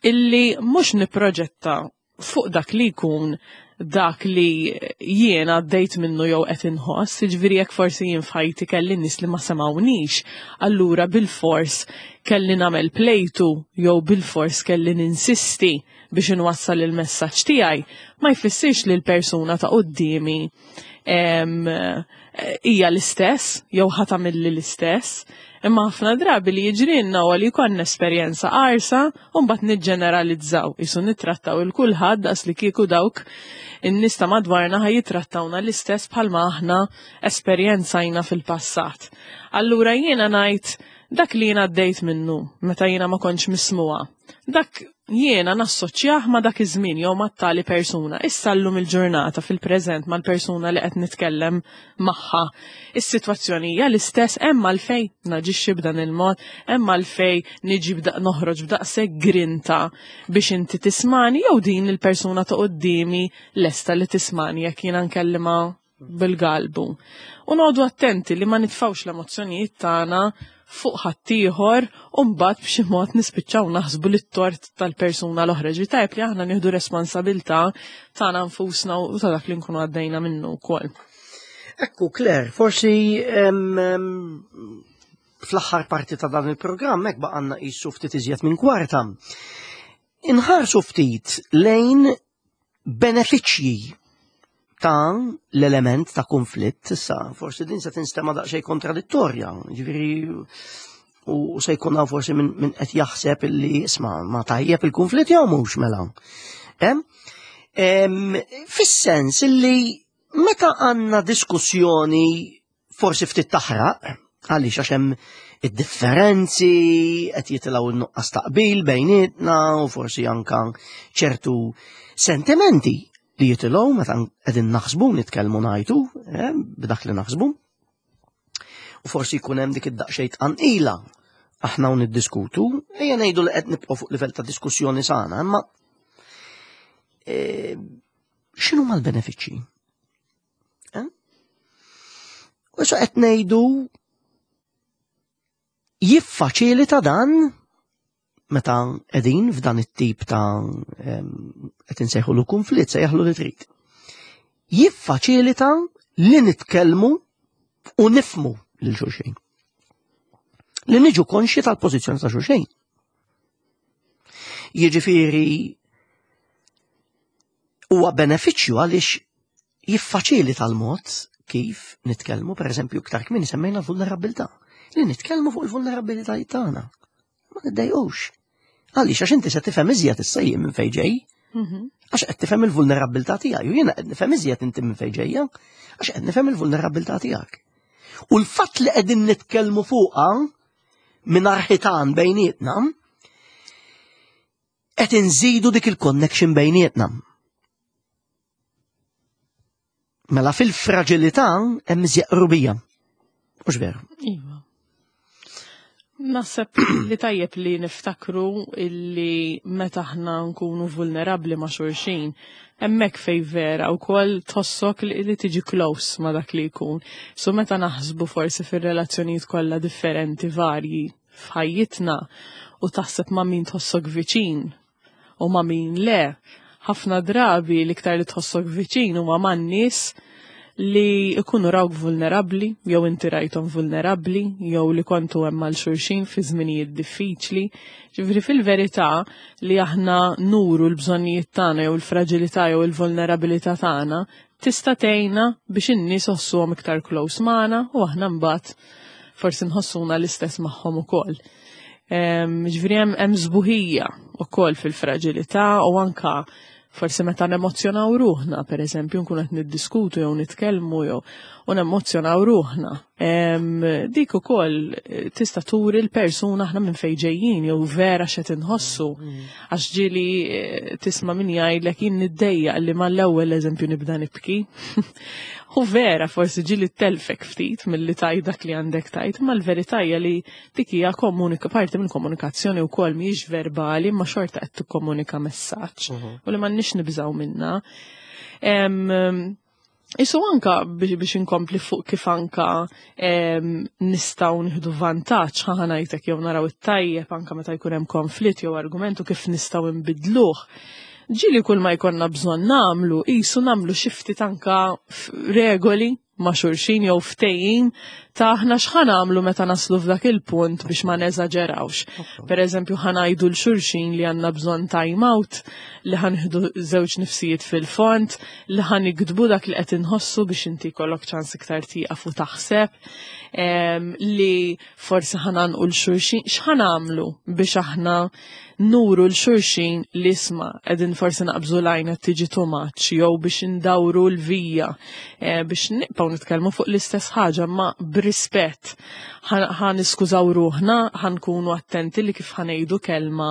illi mhux nipproġetta fuq dak li jkun dak li jiena għaddejt minnu jew qed inħoss, jiġifieri jekk forsi jien f'ħajti kelli nies li ma semawniex, allura bil-fors kelli nagħmel plejtu jew bil-fors kelli ninsisti biex inwassal il-messaġġ tiegħi, ma jfissirx li l-persuna ta' quddiemi em, hija l-istess jew ħa tagħmilli l-istess. Imma ħafna drabi li jiġrilna huwa li jkollna esperjenza qarsa u mbagħad niġġeneralizzaw, isu nittrattaw il kulħadd daqs li kieku dawk in-nies ta' madwarna ħa jitrattawna l-istess bħalma aħna esperjenzajna fil-passat. Allura jiena ngħid dak li jiena għaddejt minnu meta jiena ma kontx mismuha. Dak jiena nassoċjah ma dak iż-żmien jew ma' tali persuna. Issa llum il-ġurnata fil-preżent mal-persuna li qed nitkellem magħha. Is-sitwazzjoni hija l-istess, hemm għalfejn naġixxi b'dan il-mod, hemm għalfejn niġi b'daq noħroġ b'daqshekk grinta biex inti tismani jew din il-persuna ta' quddiemi lesta li tismani jekk jiena nkellima bil-galbu. U noqogħdu attenti li ma nitfawx l-emozzjonijiet tagħna fuq ħaddieħor u mbagħad b'xi mod nispiċċaw naħsbu li t-tort tal-persuna l-oħra. Ġi tajb li aħna nieħdu responsabilità tagħna nfusna u ta' dak li nkunu għaddejna minnu wkoll. Ekku, Claire, forsi em, em, fl-aħħar parti ta' dan il-programm hekk baqgħanna qisu ftit iżjed minn kwarta. Inħarsu ftit lejn benefiċċji Ta' l-element ta' konflitt, issa, forsi din se tinstema daqsxejn kontradittorja, ġifieri u se jkun hawn forsi min, min qed jaħseb illi isma' ma tajjeb il-konflitt jew mhux mela. Em? Em, Fis-sens illi meta għandna diskussjoni forsi ftit taħraq, għaliex għax hemm id-differenzi, qed jitilgħu n-nuqqas taqbil bejnietna u forsi anka ċertu sentimenti li jitilgħu meta qegħdin naħsbu, nitkellmu ngħidu, eh, b'dak li naħsbu. U forsi jkun hemm dik id-daqsxejn tqanqila aħna u niddiskutu, ejja ngħidu li qed nibqgħu fuq livell ta' diskussjoni sana, imma eh, x'inhu l-benefiċċji? Eh? U issa qed ngħidu jiffaċilita dan meta qegħdin f'dan it-tip ta' em, qed insejħulu konflitt, sejjaħlu li trid. Jiffaċilita li nitkellmu u nifmu lil xulxin. Li niġu konxi tal-pożizzjoni ta' xulxin. Jiġifieri huwa benefiċċju għaliex jiffaċilita l-mod kif nitkellmu, per eżempju, iktar kmieni semmejna l-vulnerabilità. Li nitkellmu fuq il-vulnerabilitajiet tagħna. Ma niddejqux. Għaliex għax inti se tifhem iżjed issa jien minn fejn ġej, Mhm. għax qed tifhem il-vulnerabilità tiegħi u jiena qed nifhem iżjed inti minn fejn ġejja, għax qed nifhem il-vulnerabilità tiegħek. U l-fatt li qegħdin nitkellmu fuqha minn ħitan bejnietna, qed inżidu dik il-connection bejnietna. Mela fil-fragilità hemm iżjed qrubija. Mhux veru. Iva. Naħseb li tajjeb li niftakru illi meta aħna nkunu vulnerabli ma' xulxin, hemmhekk fej vera wkoll tħossok li, li tiġi close ma' dak li jkun. So meta naħsbu forsi fir-relazzjonijiet kollha differenti varji f'ħajjitna u taħseb ma' min tħossok viċin u ma' min le, ħafna drabi l-iktar li tħossok viċin huma man-nies li ikunu rawk vulnerabli, jew inti rajthom vulnerabli, jew li kontu hemm għal xulxin fi żminijiet diffiċli. Ġifieri fil-verità li aħna nuru l-bżonnijiet tagħna jew il-fraġilità jew il-vulnerabilità tagħna tista' tgħinna biex in-nies iħossuhom iktar close magħna u aħna mbagħad forsi nħossuna l-istess magħhom ukoll. Em, Ġifieri hemm hemm sbuħija ukoll fil-fraġilità u anka forsi meta nemozzjonaw ruħna, per eżempju, nkunu qed niddiskutu jew nitkellmu jew u nemozzjonaw ruħna. Em, Dik ukoll eh, tista' turi l-persuna aħna minn fejn ġejjin jew vera x'qed inħossu. Għax ġieli eh, tisma' min jgħidlek jien niddejjaq li mal-ewwel eżempju nibda nibki. U vera forsi ġieli telfek ftit milli tgħid dak li għandek tgħid, ma l-verità hija li dik hija komunika parti minn komunikazzjoni wkoll mhijiex verbali, ma xorta qed tikkomunika messaġġ u li m'għandniex nibżgħu minna. Em, Isu anka biex, biex inkompli fuq kif anka em, nistgħu nieħdu vantaġġ ħa ngħidlek jew naraw it-tajjeb anka meta jkun hemm konflitt jew argumentu kif nistgħu nbidluh. Ġieli kull ma jkollna bżonn nagħmlu, qisu nagħmlu xi ftit anka f- regoli ma' xulxin jew ftehim ta' aħna x'ħa nagħmlu meta naslu f'dak il-punt biex ma neżaġerawx. Per eżempju, ħa ngħidu 'l xulxin li għandna bżonn time out, li ħa nieħdu żewġ nifsijiet fil-fond, li ħa niktbu dak li qed inħossu biex inti jkollok ċans iktar tieqaf u taħseb, em, li forsi ħa ngħannqu 'l xulxin, x'ħa nagħmlu biex aħna nuru 'l xulxin li isma' qegħdin forsi naqbżu lajna tiġi too much, jew biex indawru l-vija, eh, biex nibqgħu nitkellmu fuq l-istess ħaġa ma b'rispett. Ħa niskużaw ruħna, ħa nkunu attenti li kif ħa ngħidu kelma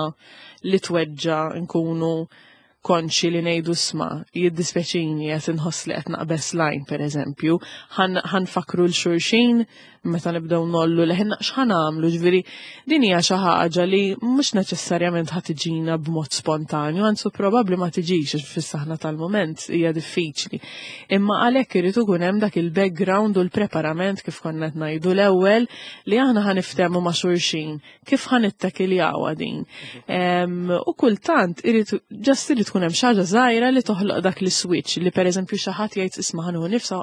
li tweġġa' nkunu konxi li ngħidu isma' jiddispjaċini qed inħoss li qed naqbeż line per eżempju, ħa nfakkru 'l xulxin meta nibdew ngħollu leħinna x'ħa nagħmlu, ġifieri din hija xi ħaġa li mhux neċessarjament ħa tiġina b'mod spontanju, anzi probabbli ma tiġix għax fis-saħna tal-mument hija diffiċli. Imma għalhekk irid ikun hemm dak il-background u l-preparament kif konna qed ngħidu l-ewwel li aħna ħa niftehmu ma' xulxin kif ħa nittekiljawha din. Em, U kultant irid just irid tkun hemm xi ħaġa żgħira li toħloq dak l-switch li pereżempju xi ħadd jgħid isma' ħa nieħu nifsa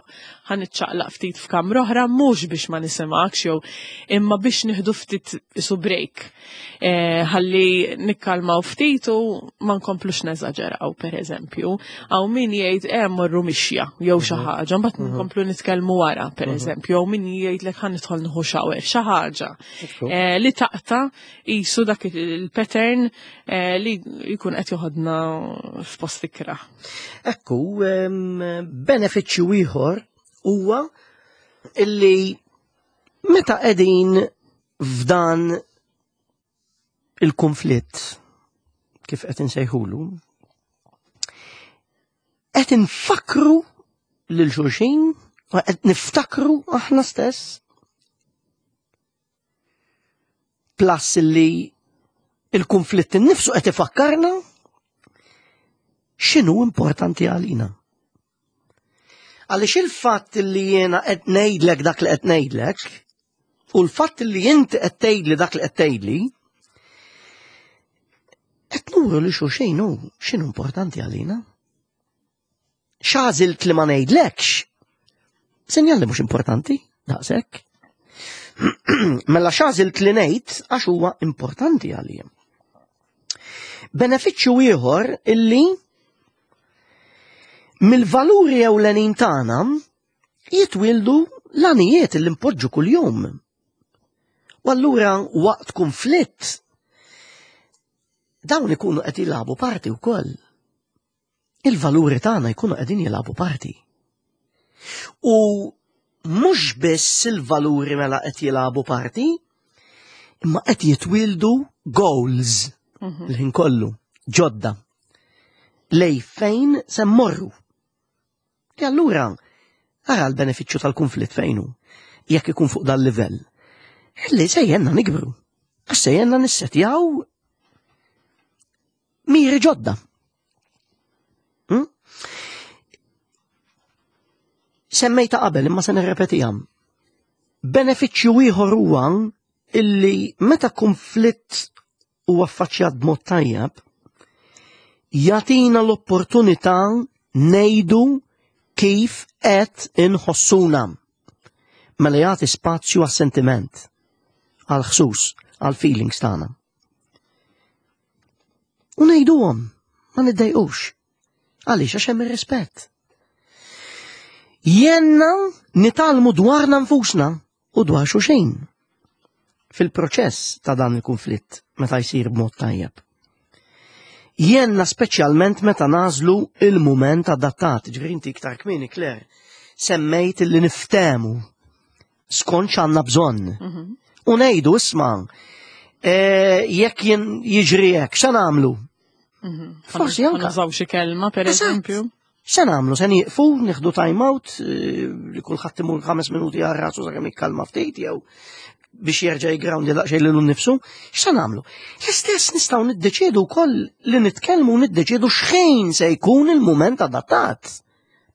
ħa niċċaqlaq ftit f'kamra oħra mhux biex ma nisimgħekx jew imma biex nieħdu ftit isu break. Eh, ħalli nikkalmaw ftit u ma nkomplux neżaġeraw pereżempju. Hawn min jgħid eh morru mixja jew xi ħaġa, mbagħad nkomplu nitkellmu wara pereżempju, jew min jgħidlek ħa nidħol nieħu shower, xi ħaġa. Eh, li taqta' qisu dak il-pattern eh, li jkun qed joħodna f'post ikrah. Ekku, em, benefiċċju ieħor huwa illi meta qegħdin f'dan il-konflitt kif qed insejħulu, qed infakru lil xulxin u qed niftakru aħna stess plus illi il-konflitt innifsu qed ifakkarna x'inhu importanti għalina. Għaliex il-fatt li jiena qed ngħidlek dak li qed ngħidlek u l-fatt li inti qed tgħidli dak li qed tgħidli, qed nuru li xulxin hu x'inhu importanti għalina. X'għażilt li ma ngħidlekx, sinjal li mhux importanti, daqshekk. Mela x'għażilt li ngħid għax huwa importanti għalija. Benefiċċju ieħor illi mill-valuri ewlenin tagħna jitwildu l-għanijiet li npoġġu kuljum. U allura waqt konflitt dawn ikunu qed jilagħbu parti wkoll. Il-valuri tagħna jkunu qegħdin jilagħbu parti. U mhux biss il-valuri mela qed jilagħbu parti, imma qed jitwildu goals l-ħin kollu, ġodda. Lej fejn se mmorru. E allura, ara l-benefiċċju tal-konflitt fejn hu, jekk ikun fuq dal-livell. Illi se jgħinna nikbru. Għax se jgħinna nissetjaw miri ġodda. Hm? Semmejta qabel imma se nirrepetiha. Benefiċċju ieħor huwa illi meta konflitt huwa affaċċjat b'mod tajjeb, jagħtina l-opportunità ngħidu kif qed inħossuna. Mela jagħti spazju għas-sentiment, għal-ħsus, għal-feelings tagħna. U ngħiduhom, ma niddejqux. Għaliex għax hemm ir-rispett. Jgħinna nitgħallmu dwarna nfusna u dwar xulxin fil-proċess ta' dan il-konflitt meta jsir b'mod tajjeb. Jgħinna speċjalment meta nagħżlu il-mument adattat. Ġifieri inti iktar kmieni, Claire, semmejt li niftehmu skont x'għandna bżonn. U ngħidu isma' eh, jekk jien jiġri hekk, x'se nagħmlu? Forsi anka. Nużaw xi kelma, per Eżatt. eżempju. X'se nagħmlu? Se nieqfu, nieħdu time out, eh, li kulħadd imur ħames minuti għal rasu sakemm jikkalma ftit jew biex jerġa' jigrawndi daqsxejn lilu nnifsu, x'se nagħmlu? L-istess nistgħu niddeċiedu wkoll li nitkellmu u niddeċiedu x'ħin se jkun il-mument adattat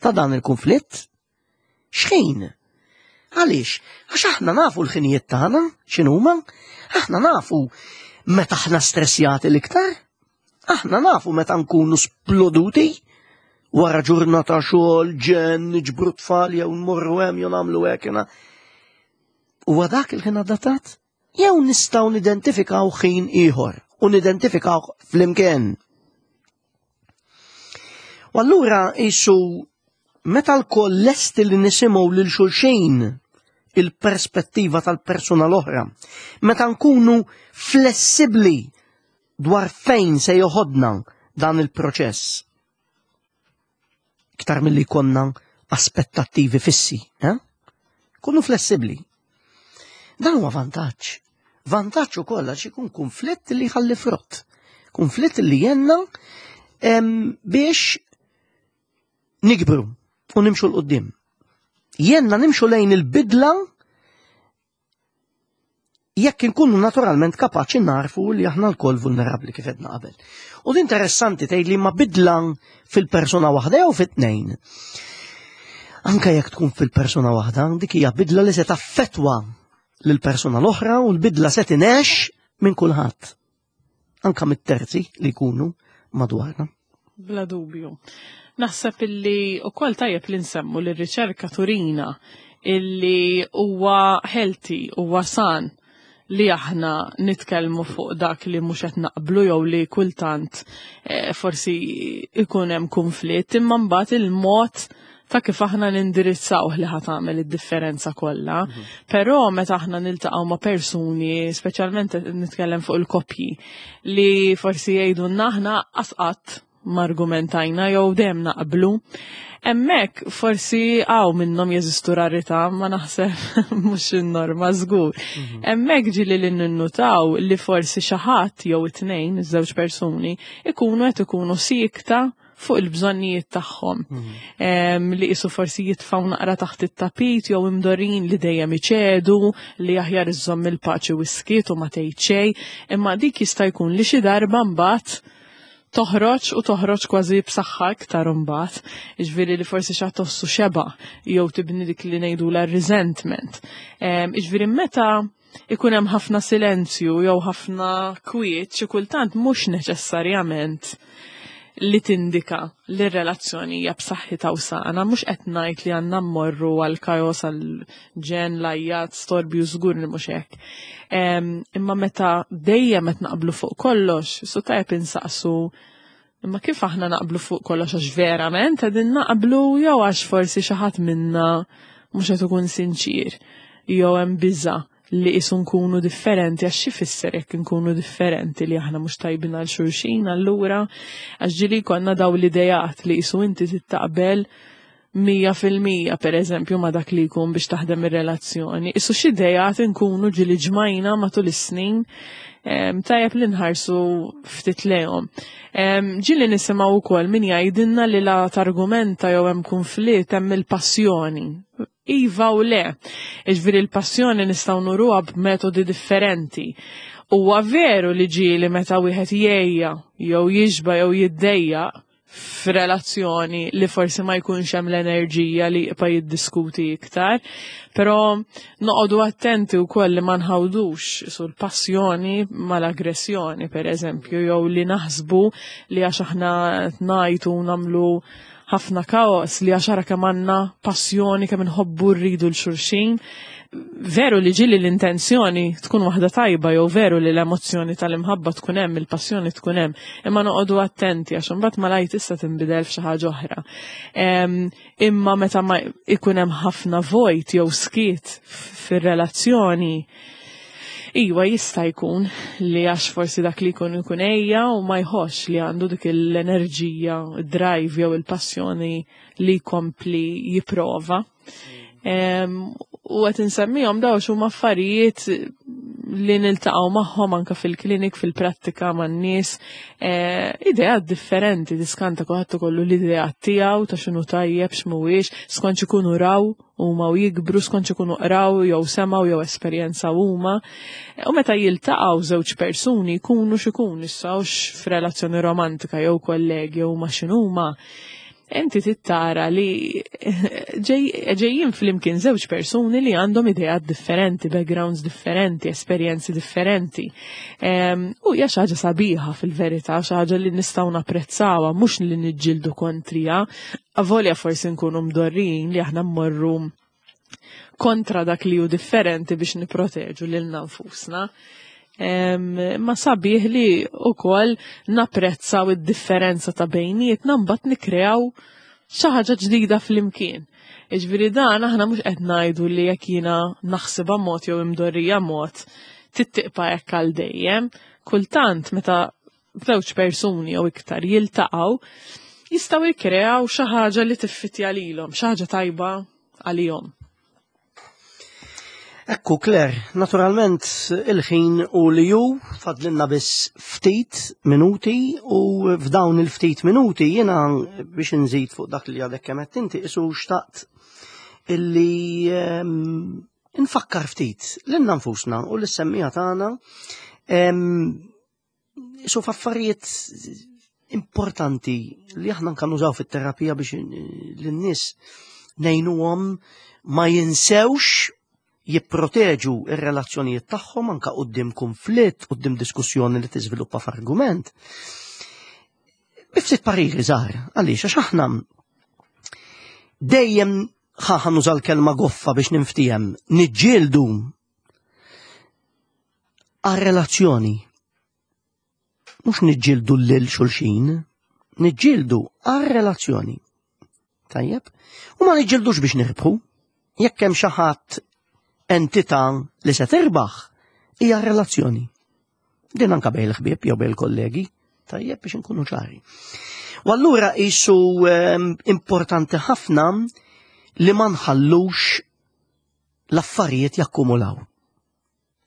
ta' dan il-konflitt. X'ħin? Għaliex? Għax aħna nafu l-ħinijiet tagħna x'inhuma, aħna nafu meta aħna stressjati l-iktar, aħna nafu meta nkunu sploduti wara ġurnata xogħol, ġenn, niġbru tfal jew nmorru hemm jew nagħmlu hekk. jiena. Huwa dak il-ħin adattat? Jew nistgħu nidentifikaw ħin ieħor u nidentifikaw flimkien. U allura qisu meta lkoll lesti li nisimgħu lil xulxin il-perspettiva tal-persuna l-oħra, meta nkunu flessibbli dwar fejn se joħodna dan il-proċess. Iktar milli konna aspettattivi fissi, eh? Kunu flessibbli. Dan huwa vantaġġ. Vantaġġ ukoll għax ikun konflitt li jħalli frott. Konflitt li jgħinna em, biex nikbru u nimxu 'l quddiem. Jgħinna nimxu lejn il-bidla jekk inkunu naturalment kapaċi narfu li aħna lkoll vulnerabli kif għedna qabel. U din interessanti tgħid li ma bidla fil-persuna waħda jew fit-tnejn. Anka jekk tkun fil-persuna waħda, dik hija bidla li se taffetwa lill-persuna l-oħra u l-bidla se tinex minn kulħadd. Anka mit-terzi li jkunu madwarna. Bla dubju. Naħseb illi ukoll tajjeb li nsemmu li r-riċerka turina illi huwa healthy, huwa san li aħna nitkellmu fuq dak li mhux qed naqblu jew li kultant eh, forsi ikun hemm konflitt, imma mbagħad il-mod ta' kif aħna nindirizzaw li ħa tagħmel id-differenza kollha. Mhm. Però meta aħna niltaqgħu ma' persuni, speċjalment nitkellem fuq il-koppji, li forsi jgħidu aħna qatt m'argumentajna jew dejjem naqblu. Hemmhekk forsi hawn minnhom jeżistu rarità, ma naħseb mhux in-norma żgur. Mhm. Hemmhekk ġieli li ninnutaw li forsi xi ħadd jew it-tnejn, iż-żewġ persuni, ikunu qed ikunu siekta fuq il-bżonnijiet tagħhom. Mhm. Li qisu forsi jitfgħu naqra taħt it-tapit jew imdorrin li dejjem iċedu, li aħjar iżomm il-paċi u skiet u ma tgħid xejn, imma dik jista' jkun li xi darba mbagħad toħroġ u toħroġ kważi b'saħħa iktar imbagħad. Jiġifieri li forsi xi tossu xeba jew tibni dik li ngħidu la resentment. Jiġifieri meta ikun hemm ħafna silenzju jew ħafna kwiet, xi kultant mhux neċessarjament li tindika li r-relazzjoni hija b'saħħitha u sana, mhux qed ngħid li għandna mmorru għal kaos, għal ġenn, l-għajjat, storbju, żgur li mhux hekk. Imma meta dejjem qed naqblu fuq kollox, su tajjeb insaqsu imma kif aħna naqblu fuq kollox, għax verament qegħdin naqblu jew għax forsi xi ħadd minna mhux qed ikun sinċir jew hemm biża' li qisu nkunu differenti, għax xi fisser jekk nkunu differenti, li aħna mhux tajbin għal xulxin allura? Għax ġieli konna daw l-idejat li qisu inti tittaqbel mija fil-mija per eżempju ma dak li jkun biex taħdem ir-relazzjoni. Qisu xi idejat nkunu ġieli ġmajna matul is-snin, tajjeb li nħarsu ftit lejhom. Ġieli nisimgħu wkoll min jgħidilna li la targumenta jew hemm konflitt hemm il-passjoni. Iva u le. Jiġifieri l-passjoni nistgħu nuruha b'metodi differenti. Huwa veru li ġieli meta wieħed jgħejja jew jixba jew jiddejjaq f'relazzjoni li forsi ma jkunx hemm l-enerġija li jibqa' jiddiskuti iktar, però noqogħdu attenti wkoll li ma nħawdux sul passjoni mal-aggressjoni, per eżempju, jew li naħsbu li għax aħna ngħajtu nagħmlu ħafna kaos li għax ara kemm għandna passjoni, kemm inħobbu, rridu 'l xulxin. Veru li ġieli l-intenzjoni tkun waħda tajba jew veru li l-emozzjoni tal-imħabba tkun hemm, il-passjoni tkun hemm, imma noqogħdu attenti għax imbagħad malajr tista' tinbidel f'xi ħaġa oħra. Imma meta ma ikun hemm ħafna vojt jew skiet fir-relazzjoni, iwa, jista' jkun li għax forsi dak li jkun ikun għejja u ma jħoss li għandu dik l-enerġija, drive jew il-passjoni li jkompli jipprova. U qed insemmihom daw huma affarijiet li niltaqgħu magħhom anke fil-klinik, fil-prattika man-nies, eh, ideat differenti, diskanta kulħadd ikollu l-ideat tiegħu ta' x'inhu tajjeb, x'mhuwiex, skont ikunu raw huma u jikbru, skont ikunu qraw jew semgħu jew esperjenza huma. U meta jiltaqgħu żewġ persuni, jkunu x'ikun issa, f'relazzjoni romantika jew kollegi jew ma' x'inhuma, inti tittara li ġejjin flimkien żewġ persuni li għandhom ideat differenti, backgrounds differenti, esperjenzi differenti. U hija xi ħaġa sabiħa fil-verità, xi ħaġa li nistgħu napprezzawha, mhux li niġġieldu kontrija, avolja forsi nkunu mdorrin li aħna mmorru kontra dak li hu differenti biex niproteġu lil nfusna. Ma sabiħ li ukoll napprezzaw id-differenza ta' bejnietna, mbagħad nikreaw xi ħaġa ġdida flimkien. Jiġifieri dan aħna mhux qed ngħidu li jekk jiena naħsibha mod jew imdorrija mod tittiqpa hekk għal dejjem. Kultant meta żewġ persuni jew iktar jiltaqgħu, jistgħu jikkreaw xi ħaġa li tiffitja lilhom, xi ħaġa tajba għalihom. Ekku, Claire, naturalment il-ħin u li ju fadlinna biss ftit minuti u f'dawn il-ftit minuti jiena biex nżid fuq dak li għadek kemm inti isu xtaqt illi um, nfakkar ftit lilna nfusna u lis-semmiegħa tagħna um, isu f'affarijiet importanti li aħna nkan nużaw fit-terapija biex lin-nies ngħinuhom ma jinsewx jipproteġu ir-relazzjonijiet tagħhom anka quddiem konflitt, quddiem diskussjoni li tiżviluppa f'argument. Bi ftit pariri żgħar, għaliex għax aħna dejjem ħa nuża l-kelma goffa biex ninftiehem, niġġieldu għal-relazzjoni. Mhux niġġieldu lil xulxin, niġġieldu għal-relazzjoni. Tajjeb? U ma niġġieldux biex nirbħu. Jekk hemm xi ħadd entità li se tirbaħ, hija relazzjoni. Din anka bejn il-ħbieb jew bejn il-kollegi, tajjeb biex inkunu ċari. U allura qisu ehm, importanti ħafna li ma nħallux l-affarijiet jakkumulaw.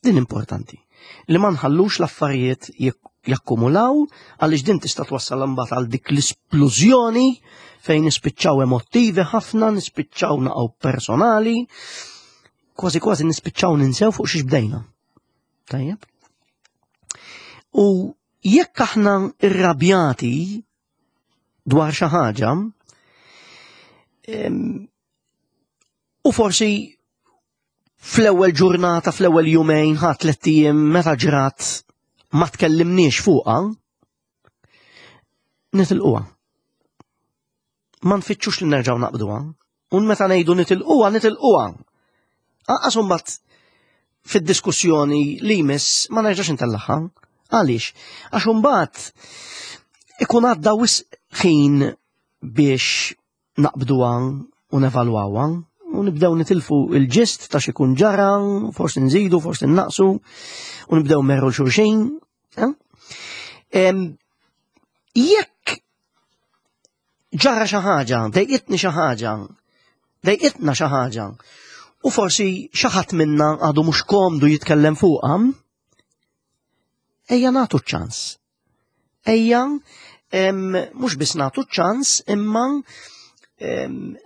Din importanti. Li ma nħallux l-affarijiet jakkumulaw għaliex din tista' twassal imbagħad għal dik l-isplużjoni fejn nispiċċaw emottivi ħafna, nispiċċaw naqgħu personali, kważi kważi nispiċċaw ninsew fuq xiex bdejna. Tajjeb? U jekk aħna irrabjati dwar xi ħaġa, u forsi fl-ewwel ġurnata, fl-ewwel jumejn, ħa tlett ijiem meta ġrat ma tkellimniex fuqha, nitilquha. Ma nfittxux li nerġgħu naqbduha. U meta ngħidu nitilquha, nitilquha. Anqas imbagħad fid-diskussjoni li jmiss ma nerġax intellagħha. Għaliex? Għax imbagħad ikun għadda wisq ħin biex naqbduha u nevalwawha u nibdew nitilfu il-ġist ta' x'ikun ġara, forsi nżidu, forsi naqsu, u nibdew merru xulxin. Jekk ġara xi ħaġa, dejqitni xi ħaġa, dejqitna xi ħaġa, u forsi xi ħadd minna għadu mhux komdu jitkellem fuqha, ejja nagħtu ċans. Ejja mhux biss nagħtu ċans, imma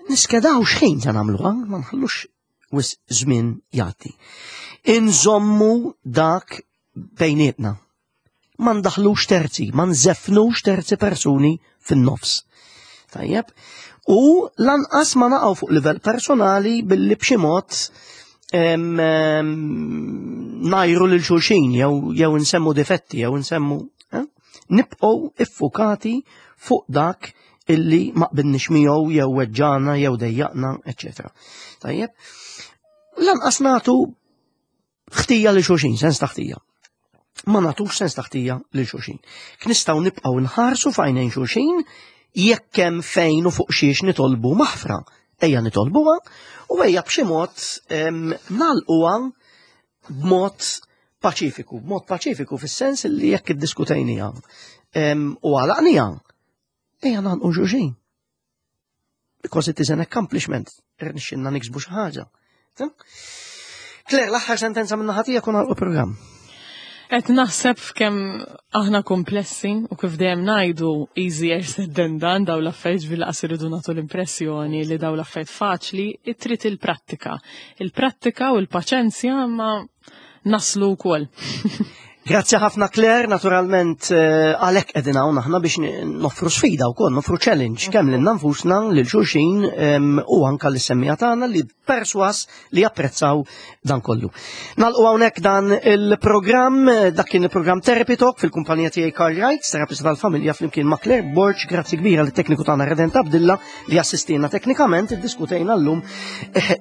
niskedaw x'ħin se nagħmluha, ma nħallux wisq żmien jagħti. Inżommu dak bejnietna. Ma ndaħlux terzi, ma nżefnux terzi persuni fin-nofs. Tajjeb? U lanqas ma naqgħu fuq livell personali billi b'xi mod ngħajru lil xulxin jew jew nsemmu difetti jew nsemmu eh? Nibqgħu iffukati fuq dak illi ma qbilniex miegħu jew weġġana jew dejjaqna, eċċetera. Tajjeb? Lanqas nagħtu ħtija lil xulxin, sens ta' ħtija. Ma nagħtux sens ta' ħtija lil xulxin. Nistgħu nibqgħu nħarsu f'għajnejn xulxin jekk hemm fejn u fuq xiex nitolbu maħfra. Ejja nitolbuha u ejja b'xi mod nagħlquha b'mod paċifiku, b'mod paċifiku fis-sens li jekk iddiskutejniha u għalaqniha, ejja nagħlqu xulxin. Because it is an accomplishment, irnexxinna niksbu xi ħaġa. Claire, l-aħħar sentenza minn naħa tiegħek u nagħlqu programm. Qed naħseb f'kemm aħna komplessi u kif dejjem ngħidu easier said than done daw l-affarijiet bil-qas iridu nagħtu l-impressjoni li daw l-affarijiet faċli, trid il-prattika. Il-prattika u l-paċenzja ma naslu wkoll. Grazzi ħafna Claire, naturalment għalhekk qegħdin hawn aħna biex noffru sfida wkoll, noffru challenge kemm lilna nfusna, lil xulxin u anka lis-semmiegħa tagħna li perswas li japprezzaw dan kollu. Nagħlqu hawnhekk dan il-programm, dak kien il-programm Therapy Talk fil-kumpanija tiegħi Karl Wright, terapista tal-familja flimkien ma' Claire Borg, grazzi kbira lit-tekniku tagħna Redent Abdilla li assistina teknikament, iddiskutejna llum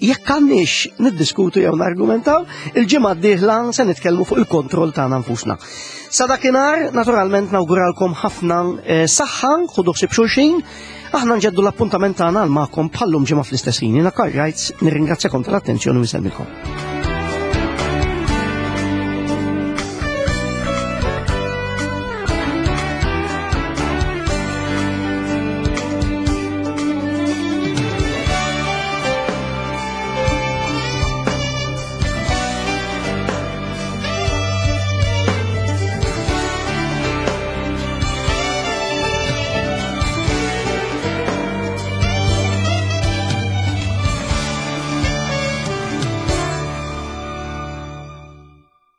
jekk għandniex niddiskutu jew nargumentaw, il-ġimgħa d-dieħla se nitkellmu fuq il-kontroll tagħna nfusna. Sa dakinhar, naturalment nawguralkom ħafna saħħa, ħudu ħsieb xulxin, aħna nġeddu l-appuntament tagħna għal magħkom bħallum ġimgħa fl-istess ħin. Jiena Karl Wright, nirringrazzjakom tal-attenzjoni u nsellmilkom.